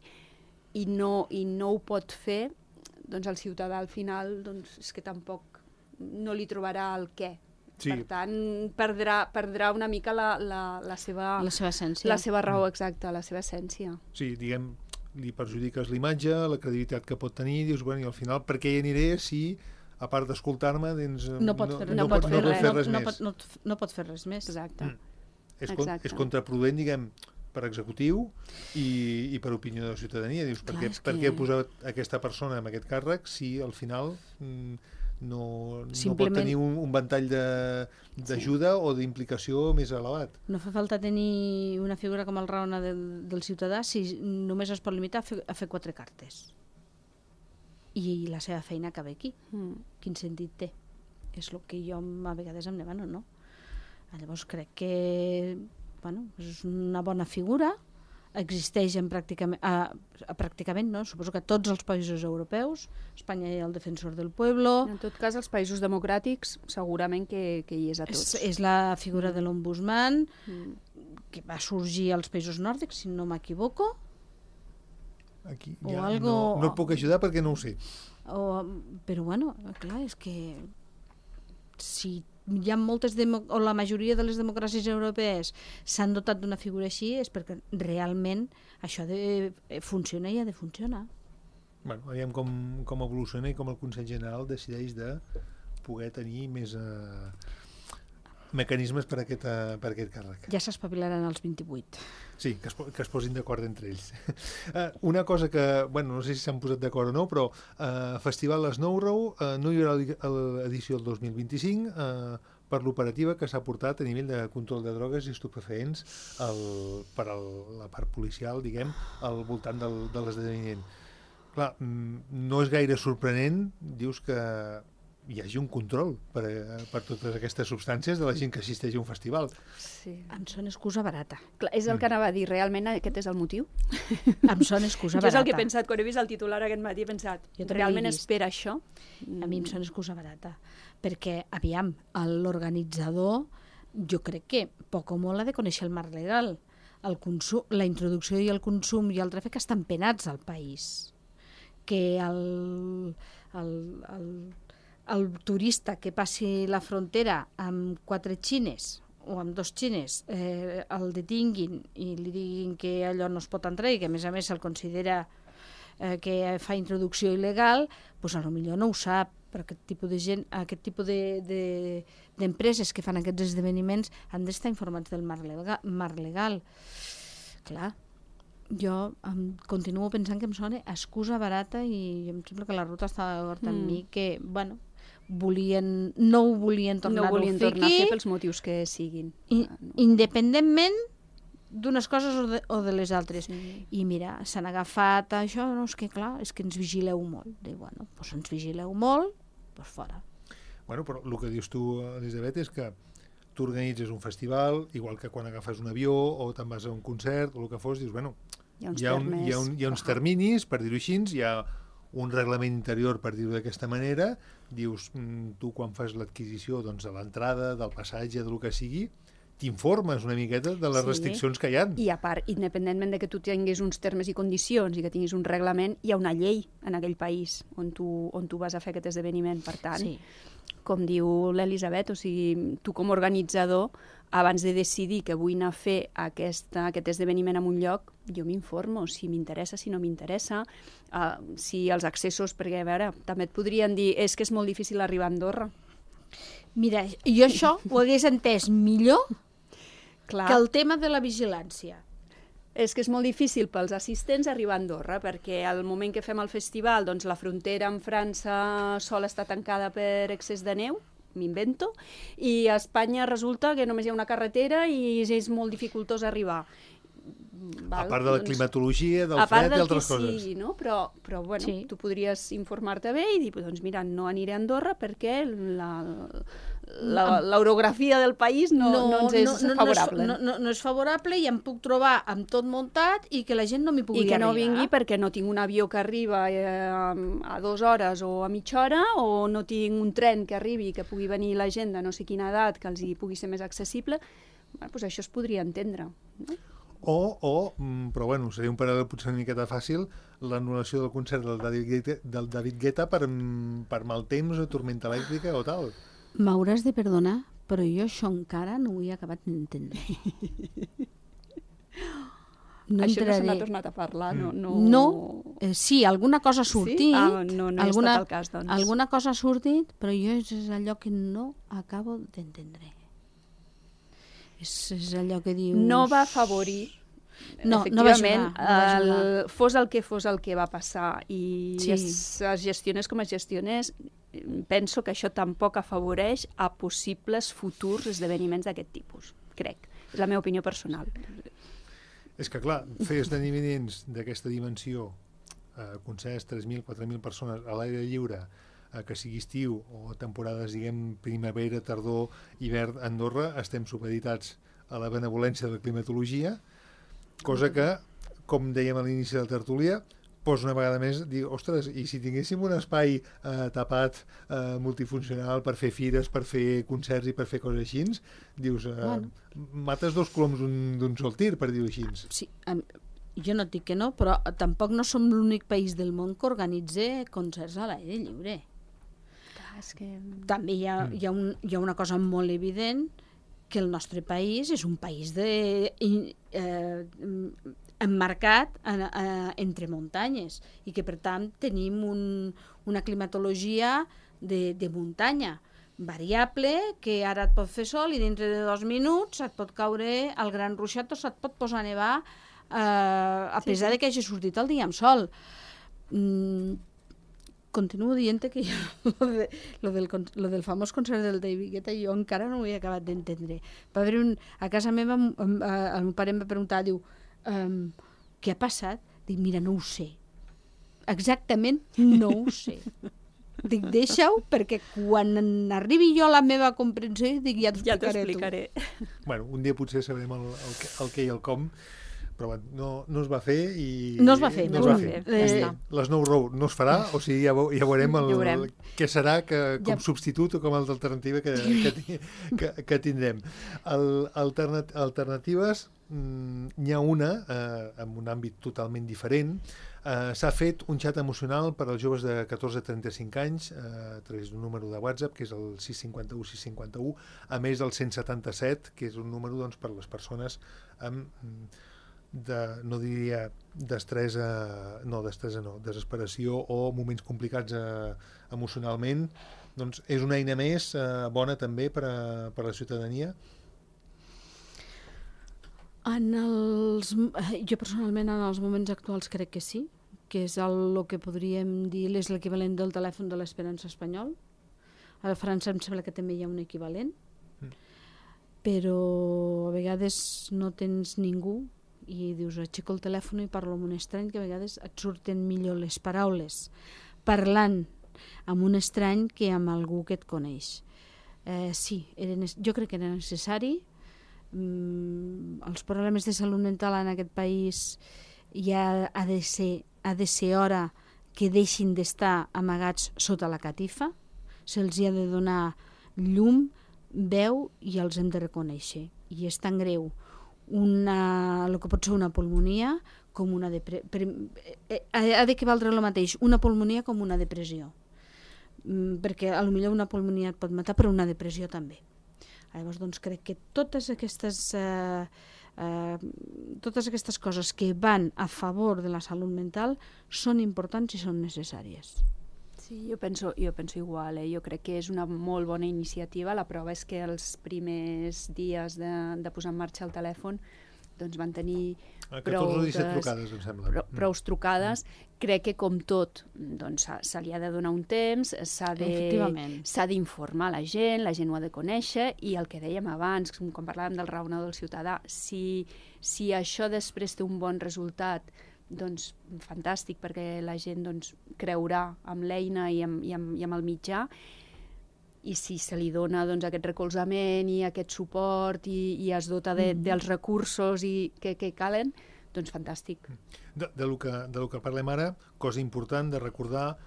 i, no, i no ho pot fer, doncs el ciutadà al final doncs, és que tampoc no li trobarà el què. Sí. Per tant, perdrà, perdrà una mica la, la, la, seva, La seva essència. la seva raó exacta, la seva essència. Sí, diguem, li perjudiques l'imatge, la credibilitat que pot tenir, dius, bueno, i al final per què hi aniré si, a part d'escoltar-me, doncs, no pot fer, no, no pot fer, no pot fer res no, més. No, no, no pot fer res més. Exacte. Mm. És, Exacte. és contraproduent, diguem, per executiu i, i per opinió de la ciutadania. Dius, per, Clar, què, és per que- què posar aquesta persona en aquest càrrec si al final mm, no, no pot Simplement- tenir un, un ventall de- d'ajuda o d'implicació més elevat? No fa falta tenir una figura com el Raona del, del ciutadà si només es pot limitar a fer, a fer quatre cartes. I la seva feina acaba aquí. Mm. Quin sentit té? És el que jo a vegades em demano, no? Llavors crec que bueno, és una bona figura, existeix en pràcticament, a, a pràcticament, no? Suposo que a tots els països europeus, Espanya hi ha el defensor del pueblo, En tot cas, els països democràtics segurament que, que hi és a és, tots. és la figura de l'ombudsman, Mm. que va sorgir als països nòrdics, si no m'equivoco, Aquí O ja algo- no, no et puc ajudar perquè no ho sé. o, però bueno, clar, és que si hi ha moltes demo, o la majoria de les democràcies europees s'han dotat d'una figura així és perquè realment això de, funciona i ha de funcionar. Bueno, veiem com, com evoluciona i com el Consell General decideix de poder tenir més eh, mecanismes per a aquest, eh, per a aquest càrrec. Ja s'espavilaran els vint-i-vuit. Sí, que es, po- que es posin d'acord entre ells. Uh, una cosa que, bueno, no sé si s'han posat d'acord o no, però uh, Festival Snowrow uh, no hi haurà l'edició del dos mil vint-i-cinc uh, per l'operativa que s'ha portat a nivell de control de drogues i estupefaents el, per el, la part policial, diguem, al voltant del, de l'esdeveniment. Clar, mm, no és gaire sorprenent, dius que hi hagi un control per, eh, per totes aquestes substàncies de la gent que assisteix a un festival. Sí. Em sona excusa barata. Clar, és el que anava a dir, realment aquest és el motiu? Em sona excusa Jo és barata. el que he pensat, quan he vist el titular aquest matí, he pensat, Jo també realment l'he és vist. per això? A mi em sona excusa barata. Perquè, aviam, l'organitzador, jo crec que poc o molt ha de conèixer el marc legal. El consum, la introducció i el consum i el tràfic estan penats al país. Que el, el, el, el turista que passi la frontera amb quatre xines o amb dos xines eh, el detinguin i li diguin que allò no es pot entrar i que a més a més se'l considera eh, que fa introducció il·legal, doncs a lo millor no ho sap, però aquest tipus de gent, aquest tipus de, de, d'empreses que fan aquests esdeveniments han d'estar informats del marc legal. Marc legal. Clar, jo em, continuo pensant que em sona excusa barata i em sembla que la ruta està d'acord amb Mm. mi que, bueno, volien, no ho volien No tornar-ho volien a fer tornar a fer aquí, pels motius que siguin. i, Ah, no. independentment d'unes coses o de, o de les altres. Sí. I mira, s'han agafat a això, no, és que clar, és que ens vigileu molt. Dic, bueno, doncs ens vigileu molt, doncs fora. Bueno, però el que dius tu, Elisabet, és que tu organitzes un festival, igual que quan agafes un avió o te'n vas a un concert o el que fos, dius, bueno, Hi ha uns hi ha, un, termes. hi ha, un, hi ha uns Ah. terminis, per dir-ho així, hi ha un reglament interior, per dir-ho d'aquesta manera, dius, mm, tu quan fas l'adquisició doncs, de l'entrada, del passatge, del que sigui, t'informes una miqueta de les Sí. restriccions que hi ha. I a part, independentment de que tu tinguis uns termes i condicions i que tinguis un reglament, hi ha una llei en aquell país on tu, on tu vas a fer aquest esdeveniment. Per tant, Sí. com diu l'Elisabet, o sigui, tu com a organitzador, abans de decidir que vull anar a fer aquesta, aquest esdeveniment en un lloc, jo m'informo si m'interessa, si no m'interessa, uh, si els accessos, perquè a veure, també et podrien dir és que és molt difícil arribar a Andorra. Mira, jo això ho hagués entès millor Clar. que el tema de la vigilància. És que és molt difícil pels assistents arribar a Andorra, perquè al moment que fem el festival, doncs la frontera amb França sol estar tancada per excés de neu, m'invento, i a Espanya resulta que només hi ha una carretera i és molt dificultós arribar. A part de la climatologia, del a part fred i del altres que coses. sigui, no? Però, però bueno, Sí. tu podries informar-te bé i dir, doncs mira, no aniré a Andorra perquè la, la, l'orografia del país no, no, no ens és favorable. No, no, no és favorable i em puc trobar amb tot muntat i que la gent no m'hi pugui I que no arribar. vingui perquè no tinc un avió que arriba eh, a dues hores o a mitja hora, o no tinc un tren que arribi que pugui venir la gent de no sé quina edat que els hi pugui ser més accessible. Bueno, doncs això es podria entendre. No? O, o mm, però bueno, seria un paral·lel potser una miqueta fàcil, l'anul·lació del concert del David Guetta, del David Guetta per, mm, per mal temps o tormenta elèctrica o tal. M'hauràs de perdonar, però jo això encara no ho he acabat d'entendre. no Això entraré... no se n'ha tornat a parlar, no? No, no eh, sí, alguna cosa ha sortit. Sí? Ah, no, no alguna, he estat el cas, doncs. Alguna cosa ha sortit, però jo és allò que no acabo d'entendre. És, és allò que dius... No va afavorir, no, no va efectivament, ajudar, no va ajudar. el, fos el que fos el que va passar i Sí. es, es gestionés com es gestionés, penso que això tampoc afavoreix a possibles futurs esdeveniments d'aquest tipus, crec. És la meva opinió personal. És que, clar, fer esdeveniments d'aquesta dimensió, eh, concerts, tres mil, quatre mil persones a l'aire lliure, eh, que sigui estiu o temporades, diguem, primavera, tardor, hivern, a Andorra, estem supeditats a la benevolència de la climatologia, cosa que, com dèiem a l'inici de la tertúlia, posa una vegada més dir, ostres, i si tinguéssim un espai eh, tapat, eh, multifuncional, per fer fires, per fer concerts i per fer coses així, dius, eh, bueno. mates dos coloms d'un sol tir, per dir-ho així. Sí, em, jo no et dic que no, però tampoc no som l'únic país del món que organitza concerts a l'aire lliure. Clar, és que... També hi ha, hi, ha un, hi ha una cosa molt evident, que el nostre país és un país de... Eh, emmarcat en, eh, entre muntanyes i que per tant tenim un, una climatologia de, de muntanya variable, que ara et pot fer sol i dintre de dos minuts et pot caure el gran ruixat o se't pot posar a nevar eh, a sí, pesar sí. de que hagi sortit el dia amb sol. Mm, continuo dient que jo, lo, de, lo, del, lo del famós concert del David Guetta jo encara no ho he acabat d'entendre. Va haver un, a casa meva el meu pare em va preguntar, diu, Um, què ha passat? Dic, mira, no ho sé. Exactament no ho sé. Dic, deixa-ho, perquè quan arribi jo a la meva comprensió, dic, ja t'ho ja explicaré. Bueno, un dia potser sabrem el, el, el què i el com, però bueno, no, no es va fer i... No es va fer, no, no es va fer. fer. Eh, Eh, L'Snow Road no es farà, o sigui, ja, ja veurem el, veurem. què serà que, com Ja. substitut o com a alternativa que, que, que, que tindrem. El, alternat, alternatives, n'hi ha una, eh, en un àmbit totalment diferent. Eh, S'ha fet un xat emocional per als joves de catorze a trenta-cinc anys eh, a través d'un número de WhatsApp, que és el sis cinc u sis cinc u, a més del cent setanta-set, que és un número doncs, per les persones amb, de, no diria destresa, no, destresa no, desesperació o moments complicats eh, emocionalment. Doncs és una eina més eh, bona també per a, per a la ciutadania. En els, jo personalment en els moments actuals crec que sí, que és el, el que podríem dir és l'equivalent del telèfon de l'Esperança espanyol. A França em sembla que també hi ha un equivalent, mm. però a vegades no tens ningú i dius, aixeco el telèfon i parlo amb un estrany, que a vegades et surten millor les paraules parlant amb un estrany que amb algú que et coneix. Eh, sí, era, jo crec que era necessari. Mm, els problemes de salut mental en aquest país ja ha de ser, ha de ser hora que deixin d'estar amagats sota la catifa, se'ls ha de donar llum, veu i els hem de reconèixer. I és tan greu una, el que pot ser una pulmonia com una depressió. Ha de que valdre el mateix una pulmonia com una depressió, mm, perquè a lo millor una pulmonia et pot matar, però una depressió també. Llavors, doncs, crec que totes aquestes, eh, eh, totes aquestes coses que van a favor de la salut mental són importants i són necessàries. Sí, jo penso, jo penso igual, eh? Jo crec que és una molt bona iniciativa. La prova és que els primers dies de, de posar en marxa el telèfon doncs van tenir catorze o disset trucades, em sembla. Prou, prou trucades. Crec que, com tot, doncs, se li ha de donar un temps, s'ha d'informar la gent, la gent ho ha de conèixer, i el que dèiem abans, quan parlàvem del raonador del ciutadà, si, si això després té un bon resultat, doncs fantàstic, perquè la gent doncs, creurà amb l'eina i, amb, i, amb, i amb el mitjà, i si se li dona doncs, aquest recolzament i aquest suport i, i es dota de, mm. dels recursos i que, que calen, doncs fantàstic. De, de, lo que, de lo que parlem ara, cosa important de recordar,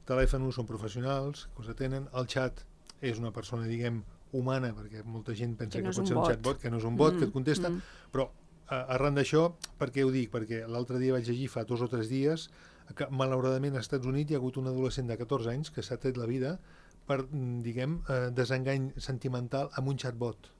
telèfons són professionals, cosa tenen, el xat és una persona, diguem, humana, perquè molta gent pensa que, que no pot ser un un xatbot, que no és un bot, mm. que et contesta, mm. però arran d'això, per què ho dic? Perquè l'altre dia vaig llegir fa dos o tres dies que malauradament als Estats Units hi ha hagut un adolescent de catorze anys que s'ha tret la vida per, diguem, eh, desengany sentimental amb un xatbot.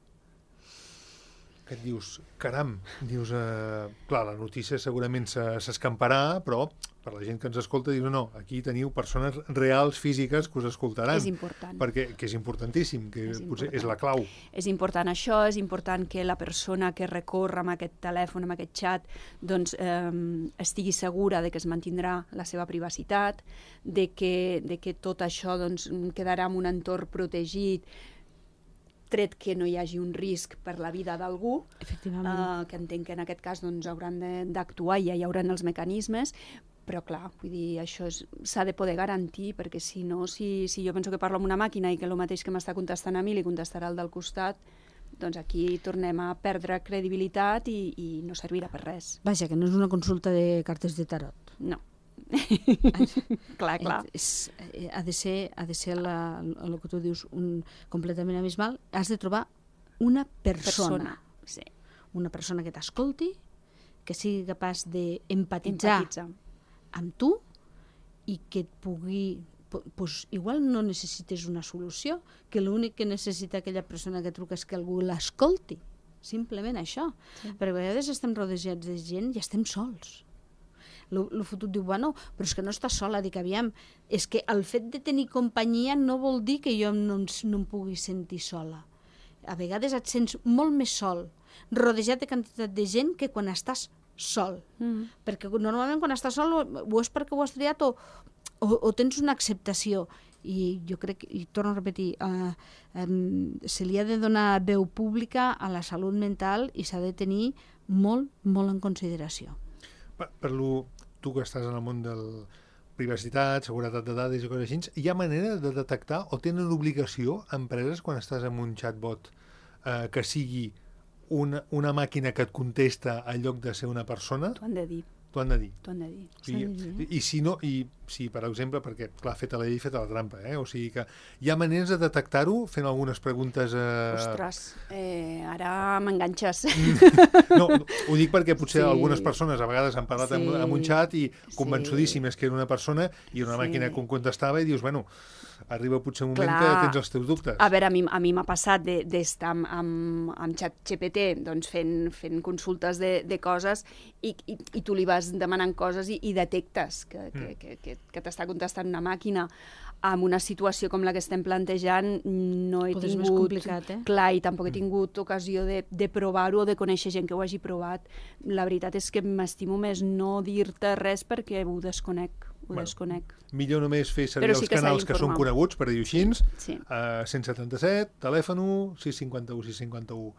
que et dius, caram, dius, eh, clar, la notícia segurament s'escamparà, però per la gent que ens escolta dius, no, aquí teniu persones reals, físiques, que us escoltaran. És important. Perquè, que és importantíssim, que és potser important. és la clau. És important això, és important que la persona que recorre amb aquest telèfon, amb aquest xat, doncs eh, estigui segura de que es mantindrà la seva privacitat, de que, de que tot això doncs, quedarà en un entorn protegit, tret que no hi hagi un risc per la vida d'algú, Efectivament. eh, que entenc que en aquest cas doncs, hauran d'actuar i ja hi haurà els mecanismes, però clar, vull dir, això s'ha de poder garantir, perquè si no, si, si jo penso que parlo amb una màquina i que el mateix que m'està contestant a mi li contestarà al del costat, doncs aquí tornem a perdre credibilitat i, i no servirà per res. Vaja, que no és una consulta de cartes de tarot. No. clar, clar. És, ha de ser, ha de ser la, el que tu dius, un, completament abismal. Has de trobar una persona. persona. Sí. Una persona que t'escolti, que sigui capaç d'empatitzar Empatitzar. amb tu i que et pugui... Pues, igual no necessites una solució, que l'únic que necessita aquella persona que truca és que algú l'escolti. Simplement això. Sí. Perquè a vegades estem rodejats de gent i estem sols. El fotut diu, bueno, però és que no estàs sola. Dic, aviam, és que el fet de tenir companyia no vol dir que jo no, no em pugui sentir sola. A vegades et sents molt més sol, rodejat de quantitat de gent, que quan estàs sol. Mm. Perquè normalment quan estàs sol o és perquè ho has triat o, o, o tens una acceptació. I jo crec, i torno a repetir, eh, eh, se li ha de donar veu pública a la salut mental i s'ha de tenir molt, molt en consideració. Per, per lo, tu que estàs en el món de privacitat, seguretat de dades i coses així, hi ha manera de detectar o tenen obligació empreses quan estàs en un chatbot eh, que sigui una, una màquina que et contesta en lloc de ser una persona? T'ho han de dir. T'ho han de dir. T'ho han de dir. I, i, i si no, i si per exemple, perquè clar, feta la llei, feta la trampa, eh? O sigui que hi ha maneres de detectar-ho fent algunes preguntes... Eh... Ostres, eh, ara m'enganxes. No, ho dic perquè potser Sí. algunes persones a vegades han parlat Sí. amb, amb un xat i convençudíssimes que era una persona i una Sí. màquina que contestava i dius, bueno, arriba potser un moment Clar. que tens els teus dubtes. A veure, a mi a mi m'ha passat d'estar amb, amb, amb ChatGPT doncs fent, fent consultes de, de coses i, i, i tu li vas demanant coses i, i detectes que, que, Mm. que, que, que t'està contestant una màquina. En una situació com la que estem plantejant no he Potser és tingut... més complicat, eh? Clar, i tampoc he tingut ocasió de, de provar-ho o de conèixer gent que ho hagi provat. La veritat és que m'estimo més no dir-te res perquè ho desconec. Ho Bueno. desconec. Millor només fer servir Però sí els que s'ha canals que són d'informar. coneguts, per dir-ho així, Sí. eh, cent setanta-set, telèfon u, sis cinquanta-u, sis cinquanta-u,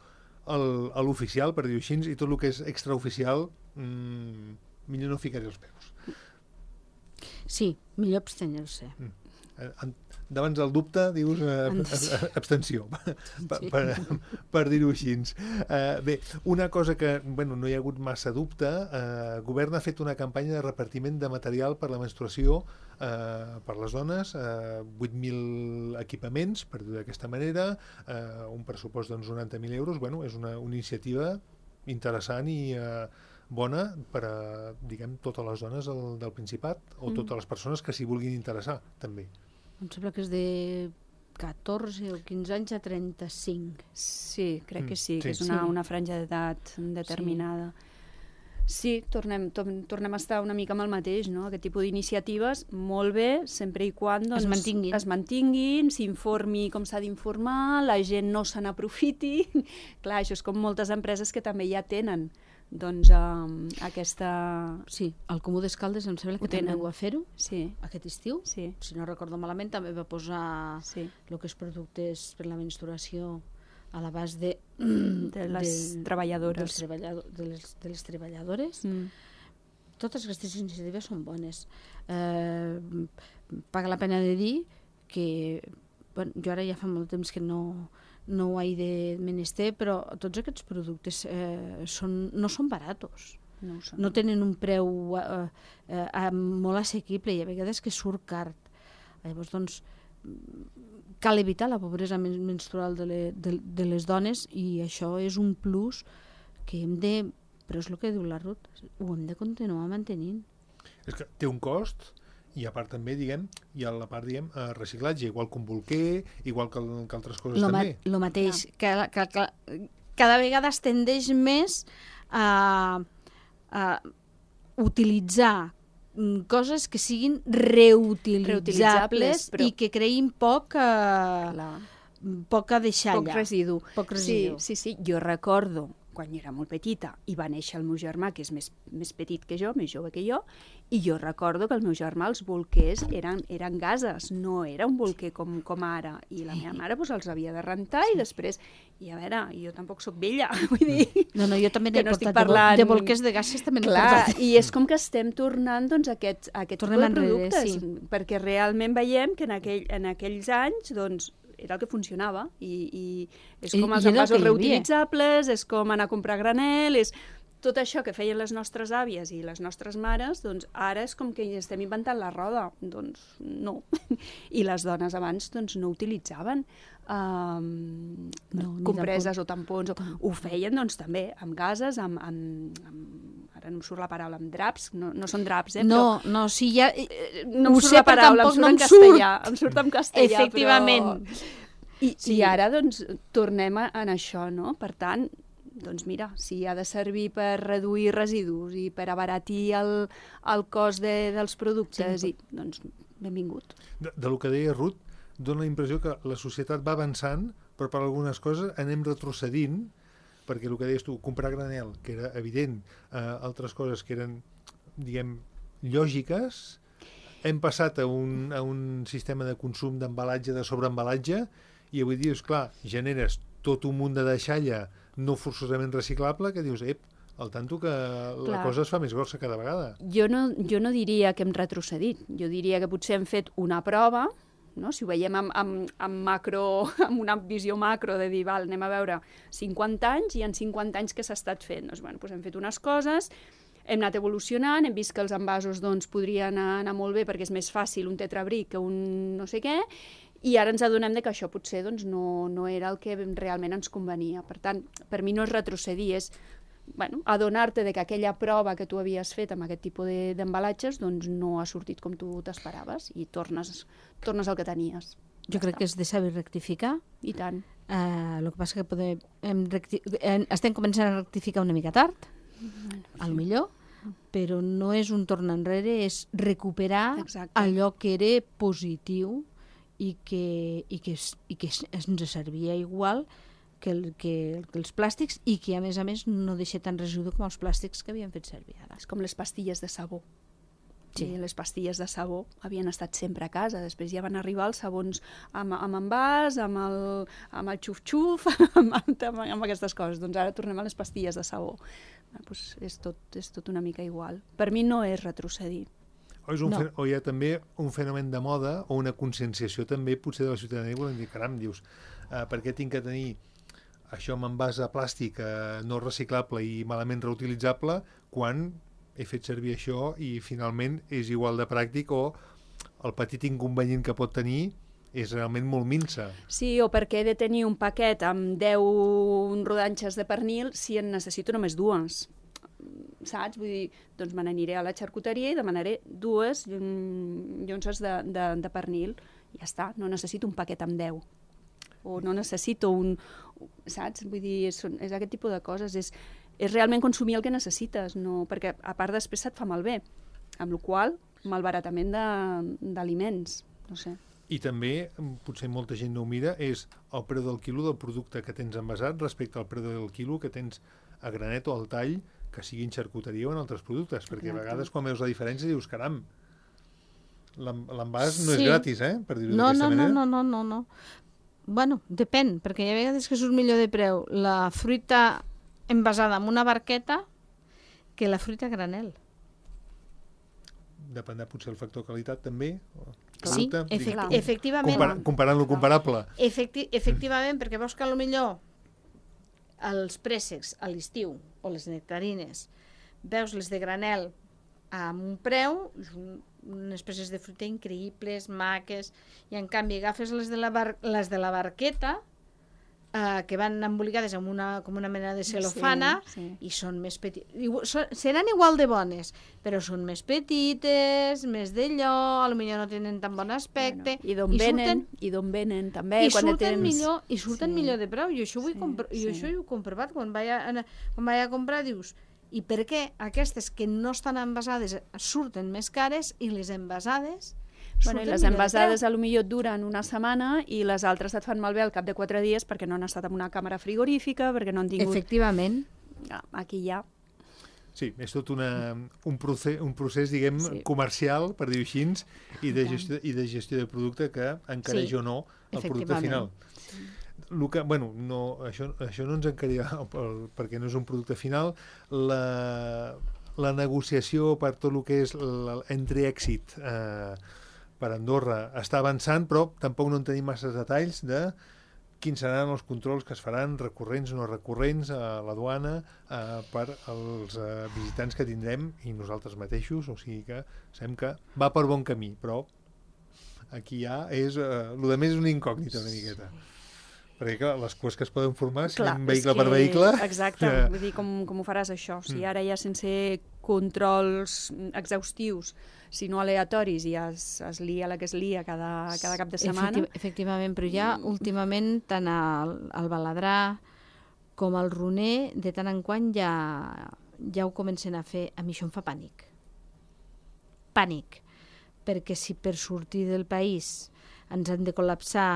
el- a l'oficial, per dir-ho així, i tot el que és extraoficial, mmm, millor no ficar-hi els peus. Sí, millor abstenir-se. Eh, en- davant del dubte, dius eh, Ens- eh, abstenció, per, Sí. per, per dir-ho així. Eh, bé, una cosa que bueno, no hi ha hagut massa dubte, eh, el govern ha fet una campanya de repartiment de material per la menstruació eh, per les dones, eh, vuit mil equipaments, per dir-ho d'aquesta manera, eh, un pressupost d'uns noranta mil euros. Bueno, és una, una iniciativa interessant i eh, bona per a, diguem, totes les dones del, del Principat o Mm. totes les persones que s'hi vulguin interessar, també. Em sembla que és de catorze o quinze anys a trenta-cinc. Sí, crec Mm, que sí, sí. que és una, Sí. una franja d'edat determinada. Sí, tornem, tornem, tornem a estar una mica amb el mateix, no? Aquest tipus d'iniciatives, molt bé, sempre i quan doncs, Es mantinguin. es mantinguin, s'informi com s'ha d'informar, la gent no se n'aprofiti. Clar, això és com moltes empreses que també ja tenen doncs, um, aquesta... Sí, el Comú d'Escaldes em sembla que Ho tenen. també ho va fer-ho Sí, aquest estiu. sí, Si no recordo malament, també va posar sí. el que és productes per la menstruació a l'abast de, De les dels treballadores. treballado, de, les, de les treballadores. Mm. Totes aquestes iniciatives són bones. Eh, paga la pena de dir que bueno, jo ara ja fa molt temps que no, no ho he de menester, però tots aquests productes eh, són, no són baratos. No ho sé. No tenen un preu eh, eh, molt assequible i a vegades que surt car. Llavors, doncs, cal evitar la pobresa men menstrual de, le, de, de les dones i això és un plus que hem de... Però és el que diu la Ruth, ho hem de continuar mantenint. És que té un cost i a part també, diguem, hi ha la part, diguem, eh, reciclatge, igual que un bolquer, igual que, que altres coses Lo, ma també. lo mateix, que, que, que cada vegada es tendeix més a, a utilitzar coses que siguin reutilitzables, Reutilitzables, però- i que creïn poc, eh, Clar. poca deixalla. Poc residu. Poc residu. Sí, sí, sí. Jo recordo quan jo era molt petita i va néixer el meu germà, que és més, més petit que jo, més jove que jo, i jo recordo que el meu germà, els bolquers, eren, eren gases, no era un bolquer com, com ara. I la meva mare doncs, els havia de rentar i després... I a veure, jo tampoc sóc vella, vull dir... No, no, jo també que n'he no portat estic parlant... de bolquers de gases, també n'he Clar, portat. i és com que estem tornant doncs, a aquest, a aquest tipus Tornem de enrere, productes, sí. perquè realment veiem que en, aquell, en aquells anys doncs, era el que funcionava i, i és I- com els i era el envasos que hi havia. reutilitzables, és com anar a comprar granel, és tot això que feien les nostres àvies i les nostres mares, doncs ara és com que estem inventant la roda. Doncs no. I les dones abans doncs, no utilitzaven um, No, ni compreses o tampons. O, ho feien doncs, també amb gases, amb, amb, amb, ara no em surt la paraula, amb draps, no, no són draps, eh? No, no, sí, ja... Però, no ho em surt sé, la però paraula, em tampoc surt no en em surt. castellà. Em surt en castellà, Efectivament. però... I, Sí. I ara, doncs, tornem a, en això, no? Per tant, doncs mira, si ha de servir per reduir residus i per abaratir el, el cost de, dels productes, Sí. i, doncs benvingut. De, de lo que deia Ruth, dona la impressió que la societat va avançant, però per algunes coses anem retrocedint, perquè el que deies tu, comprar granel, que era evident, eh, altres coses que eren, diguem, lògiques, hem passat a un, a un sistema de consum d'embalatge, de sobreembalatge, i avui dius, clar, generes tot un munt de deixalla no forçosament reciclable, que dius, ep, al tanto que la Clar. cosa es fa més grossa cada vegada. Jo no, jo no diria que hem retrocedit, jo diria que potser hem fet una prova, no? Si ho veiem amb, amb, amb, macro, amb una visió macro de dir, val, anem a veure cinquanta anys, i en cinquanta anys què s'ha estat fent? Doncs, bueno, doncs hem fet unes coses, hem anat evolucionant, hem vist que els envasos doncs, podrien anar, anar molt bé perquè és més fàcil un tetrabric que un no sé què, i ara ens adonem de que això potser doncs, no, no era el que realment ens convenia. Per tant, per mi no és retrocedir, és bueno, adonar-te de que aquella prova que tu havies fet amb aquest tipus de- d'embalatges doncs, no ha sortit com tu t'esperaves i tornes, tornes al que tenies. Jo crec que és de saber rectificar. I tant. Uh, el que passa que podem, hem recti... hem, estem començant a rectificar una mica tard, al millor, però no és un torn enrere, és recuperar Exacte. allò que era positiu i que, i que, es- i que es- ens servia igual que, el, que, que els plàstics i que, a més a més, no deixa tant residu com els plàstics que havien fet servir ara. És com les pastilles de sabó. Sí. Sí. Les pastilles de sabó havien estat sempre a casa, després ja van arribar els sabons amb, amb envàs, amb el, amb el xuf-xuf, amb, amb, amb aquestes coses. Doncs ara tornem a les pastilles de sabó. Ah, doncs és, tot, és tot una mica igual. Per mi no és retrocedir. O, és un No. fe... o hi ha també un fenomen de moda o una conscienciació també potser de la ciutadania, volem dir, caram, dius, eh, per què tinc que tenir això amb envàs de plàstic eh, no reciclable i malament reutilitzable quan he fet servir això i finalment és igual de pràctic, o el petit inconvenient que pot tenir és realment molt minsa. Sí, o perquè he de tenir un paquet amb deu rodanxes de pernil si en necessito només dues. Saps? Vull dir, doncs me n'aniré a la xarcuteria i demanaré dues mm, llonces de, de, de pernil. I ja està, no necessito un paquet amb deu. O no necessito un... Saps? Vull dir, és, és aquest tipus de coses. És, és realment consumir el que necessites, no? Perquè a part després se't fa malbé. Amb la qual cosa, malbaratament de- d'aliments. No sé. I també, potser molta gent no ho mira, és el preu del quilo del producte que tens envasat respecte al preu del quilo que tens a granet o al tall, que sigui en xarcuteria o en altres productes, perquè Exacte. a vegades quan veus la diferència dius, caram, l'en- l'envàs no Sí. és gratis, eh? Per dir-ho No, d'aquesta no, no, manera. no, no, no, no. Bueno, depèn, perquè hi ha vegades que surt millor de preu la fruita envasada en una barqueta que la fruita a granel. Dependrà potser el factor qualitat també. o Sí, producte, efecti Clar. efectivament. compara- comparant lo comparable. Efecti efectivament, perquè veus que a lo millor els préssecs a l'estiu o les nectarines veus les de granel amb un preu, un, unes peces de fruita increïbles, maques, i en canvi agafes les de la, bar les de la barqueta Uh, que van embolicades amb una, com una mena de celofana, sí, sí. i són més petites. Seran igual de bones, però són més petites, més d'allò, potser no tenen tan bon aspecte. Bueno, I d'on venen, i d'on venen també. I quan surten, tens... millor, i surten sí. millor de preu. Jo això, ho he sí, compr... sí. jo això ho he comprovat. Quan vaig a, quan vaig a comprar, dius, i per què aquestes que no estan envasades surten més cares i les envasades Bueno, i les envasades a lo millor duren una setmana i les altres et fan malbé al cap de quatre dies perquè no han estat en una càmera frigorífica, perquè no han tingut... Efectivament. Aquí ja... Sí, és tot una, un, procés, un procés, diguem, sí. comercial, per dir-ho així, i de, gestió, i de gestió de producte que encareix sí, o no el producte final. Sí. El que, bueno, no, això, això no ens encarirà perquè no és un producte final. La, la negociació per tot el que és l'entreèxit eh, per Andorra està avançant, però tampoc no en tenim massa detalls de quins seran els controls que es faran, recurrents o no recurrents, a la duana eh, per als eh, visitants que tindrem i nosaltres mateixos, o sigui que sabem que va per bon camí, però aquí ja és... Eh, el de més és una incògnita una miqueta. Perquè clar, les coses que es poden formar, si anem vehicle que, per vehicle... Exacte, que... vull dir, com, com ho faràs això? O sigui, ara ja sense controls exhaustius, sinó aleatoris, i es, es lia la que es lia cada, cada cap de setmana. Efecti efectivament, però ja últimament tant el, el baladrà com el runer, de tant en quant ja, ja ho comencen a fer. A mi això em fa pànic. Pànic. Perquè si per sortir del país ens han de col·lapsar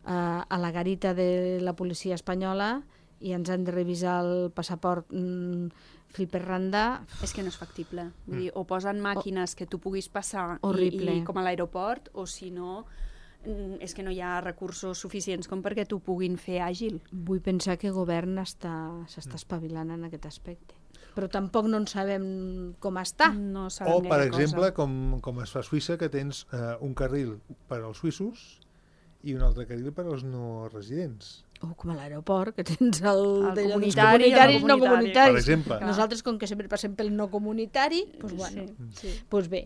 a la garita de la policia espanyola i ens han de revisar el passaport mm, fil per randa... És que no és factible. Vull dir, o posen màquines que tu puguis passar i, i com a l'aeroport, o si no, és que no hi ha recursos suficients com perquè t'ho puguin fer àgil. Vull pensar que el govern s'està espavilant en aquest aspecte. Però tampoc no en sabem com està. No o, per exemple, com, com es fa a Suïssa, que tens eh, un carril per als suïssos i un altre carril per als no residents. O com a l'aeroport, que tens el... el de comunitari, comunitaris, el no comunitaris. Per exemple. Nosaltres, com que sempre passem pel no comunitari, doncs bueno, sí, sí. Pues bé,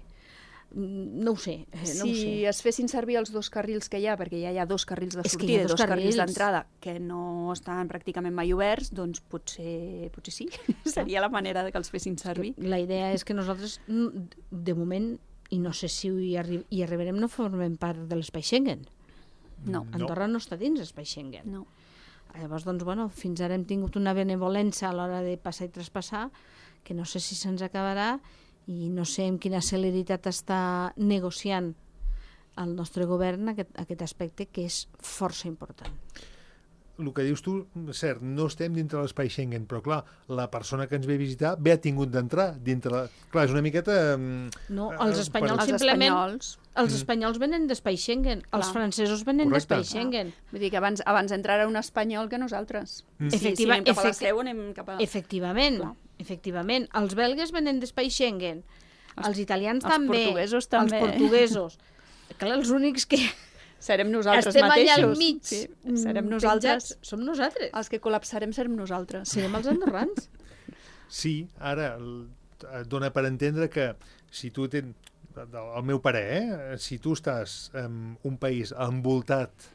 no ho sé. Eh, no si ho sé. es fessin servir els dos carrils que hi ha, perquè ja hi ha dos carrils de És sortida i dos, dos carrils, carrils d'entrada que no estan pràcticament mai oberts, doncs potser, potser sí. Seria la manera de que els fessin servir. La idea és que nosaltres, de moment, i no sé si hi, arri hi arribarem, no formem part de l'espai Schengen. No. Andorra no està dins l'espai Schengen. No. Llavors, doncs, bueno, fins ara hem tingut una benevolència a l'hora de passar i traspassar, que no sé si se'ns acabarà i no sé amb quina celeritat està negociant el nostre govern aquest, aquest aspecte que és força important. El que dius tu, cert, no estem dintre l'espai Schengen, però clar, la persona que ens ve a visitar bé ha tingut d'entrar dintre la... Clar, és una miqueta... No, els espanyols per... simplement... Els espanyols, els espanyols venen d'espai Schengen, clar. Els francesos venen d'espai Schengen. Ah. Vull dir que abans, abans entrarà un espanyol que nosaltres. Mm. Si, si anem cap a la seu, anem cap a... Efectivament, clar. Efectivament. Els belgues venen d'espai Schengen, els, els italians els també, portuguesos també. Els portuguesos. Clar, els únics que... Serem nosaltres estem mateixos. Estem allà al mig. Sí, serem nosaltres. Penjats. Som nosaltres. Els que col·lapsarem serem nosaltres. Serem els andorrans. Sí, ara et dona per entendre que si tu tens, el meu parer, eh? Si tu estàs en un país envoltat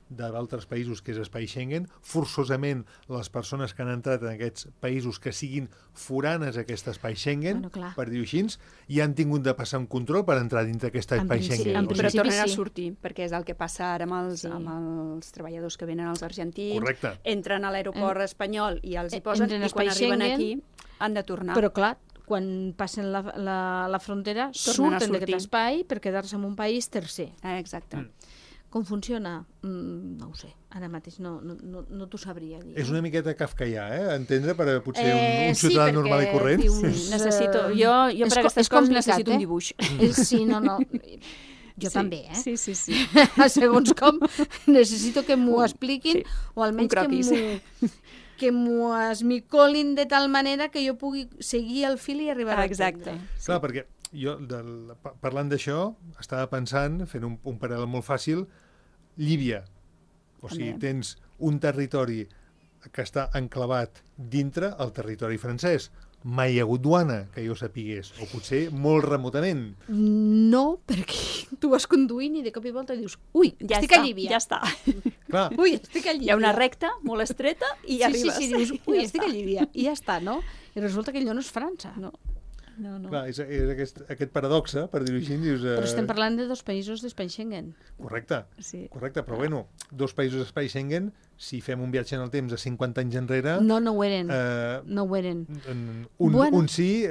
d'altres països que és espai Schengen, forçosament les persones que han entrat en aquests països que siguin foranes a aquest espai Schengen, bueno, per dir-ho així, i han tingut de passar un control per entrar dintre aquest espai Schengen. Sí, però tornen sí. a sortir, perquè és el que passa ara amb els, sí. amb els treballadors que venen als argentins, correcte. Entren a l'aeroport en... espanyol i els hi posen, Entren i quan arriben Schengen, aquí han de tornar. Però clar, quan passen la, la, la frontera, tornen surten d'aquest espai per quedar-se en un país tercer. Ah, exacte. Mm. Com funciona? Mm, no ho sé. Ara mateix no, no, no, no t'ho sabria dir. És una miqueta kafkaià, eh? Entendre per a potser un, eh, un ciutadà sí, normal i corrent. Dius, necessito, jo, jo per aquestes coses necessito eh? un dibuix. Eh, sí, no, no. Jo sí, també, eh? Sí, sí, sí. Segons com, necessito que m'ho expliquin, sí, o almenys que que m'ho esmicolin de tal manera que jo pugui seguir el fil i arribar ah, a exacte. entendre. Clar, perquè jo, del, parlant d'això, estava pensant, fent un, un paral·lel molt fàcil, Llívia. O sigui, també. Tens un territori que està enclavat dintre el territori francès. mai hi ha hagut duana, que jo sapigués, o potser molt remotament. No, perquè tu vas conduint i de cop i volta dius ui, Ja estic està, a Llívia. ja està. Clar, Ui, estic a Llívia. Hi ha una recta molt estreta i sí, arribes. Sí, sí, dius, ui, Ja estic a està. Llívia. I ja està, no? I resulta que allò no és França. No, no, no. clar és, és aquest, aquest paradoxe, per dir-ho així, dius... Eh, Però estem parlant de dos països d'espai Schengen. Correcte, Sí. correcte, però bueno, dos països d'espai Schengen, si fem un viatge en el temps de cinquanta anys enrere... No, no ho eren. Eh, No ho eren. un, Bueno. un sí, eh,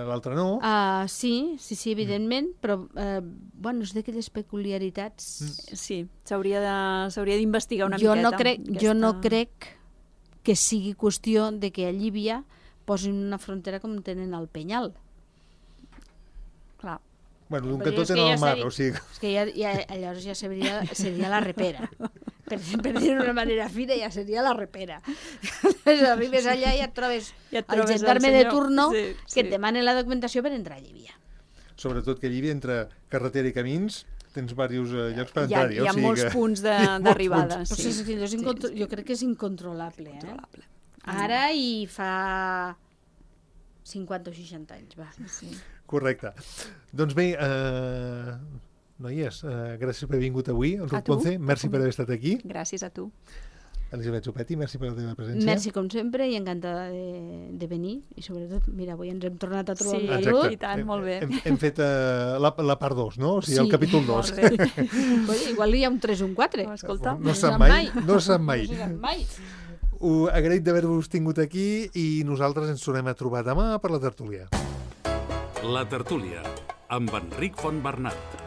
l'altre no. Uh, sí, sí, sí, evidentment, però uh, bueno, és d'aquelles peculiaritats... Mm. Sí, s'hauria de- s'hauria d'investigar una jo miqueta. no crec, aquesta- jo no crec que sigui qüestió de que a Llívia posin una frontera com tenen al Penyal. Clar. Bueno, d'un Però cantó és que tenen ja el mar, seria- o sigui... És que ja, ja, llavors ja seria, seria la repera. Per, per dir-ho d'una manera fina, ja seria la repera. Aleshores, arribes allà i et trobes, Ja et el trobes el gendarme de senyor. turno Sí, que et sí. demana la documentació per entrar a Llívia. Sobretot que a Llívia, entre carretera i camins, tens diversos eh, llocs per Hi ha, entrar-hi. hi ha o sigui molts que... punts de- hi ha molts d'arribada. punts. Però Sí. és que allò és Sí, incontro... sí. Jo crec que és incontrolable. Eh? Controlable. Ara i fa cinquanta o seixanta anys, va. Sí. Correcte. Doncs bé, eh, noies, eh, gràcies per haver vingut avui. El A Ruth tu. Ponce, merci per haver estat aquí. Gràcies a tu. Elisabet Zopetti, merci per la teva presència. Merci com sempre i encantada de, de venir i sobretot, mira, avui ens hem tornat a trobar Sí, amb la Exacte. Ruth. I tant, molt bé. Hem, hem fet uh, la, la part dos, no? O sigui, Sí. el capítol dos. Molt bé. Oye, igual hi ha un tres o un quatre. No, escolta, No No sap sap mai, mai. no sap mai. No sap mai. Ho agraït d'haver-vos tingut aquí i nosaltres ens tornem a trobar demà per la tertúlia. La tertúlia, amb Enric Fontbernat.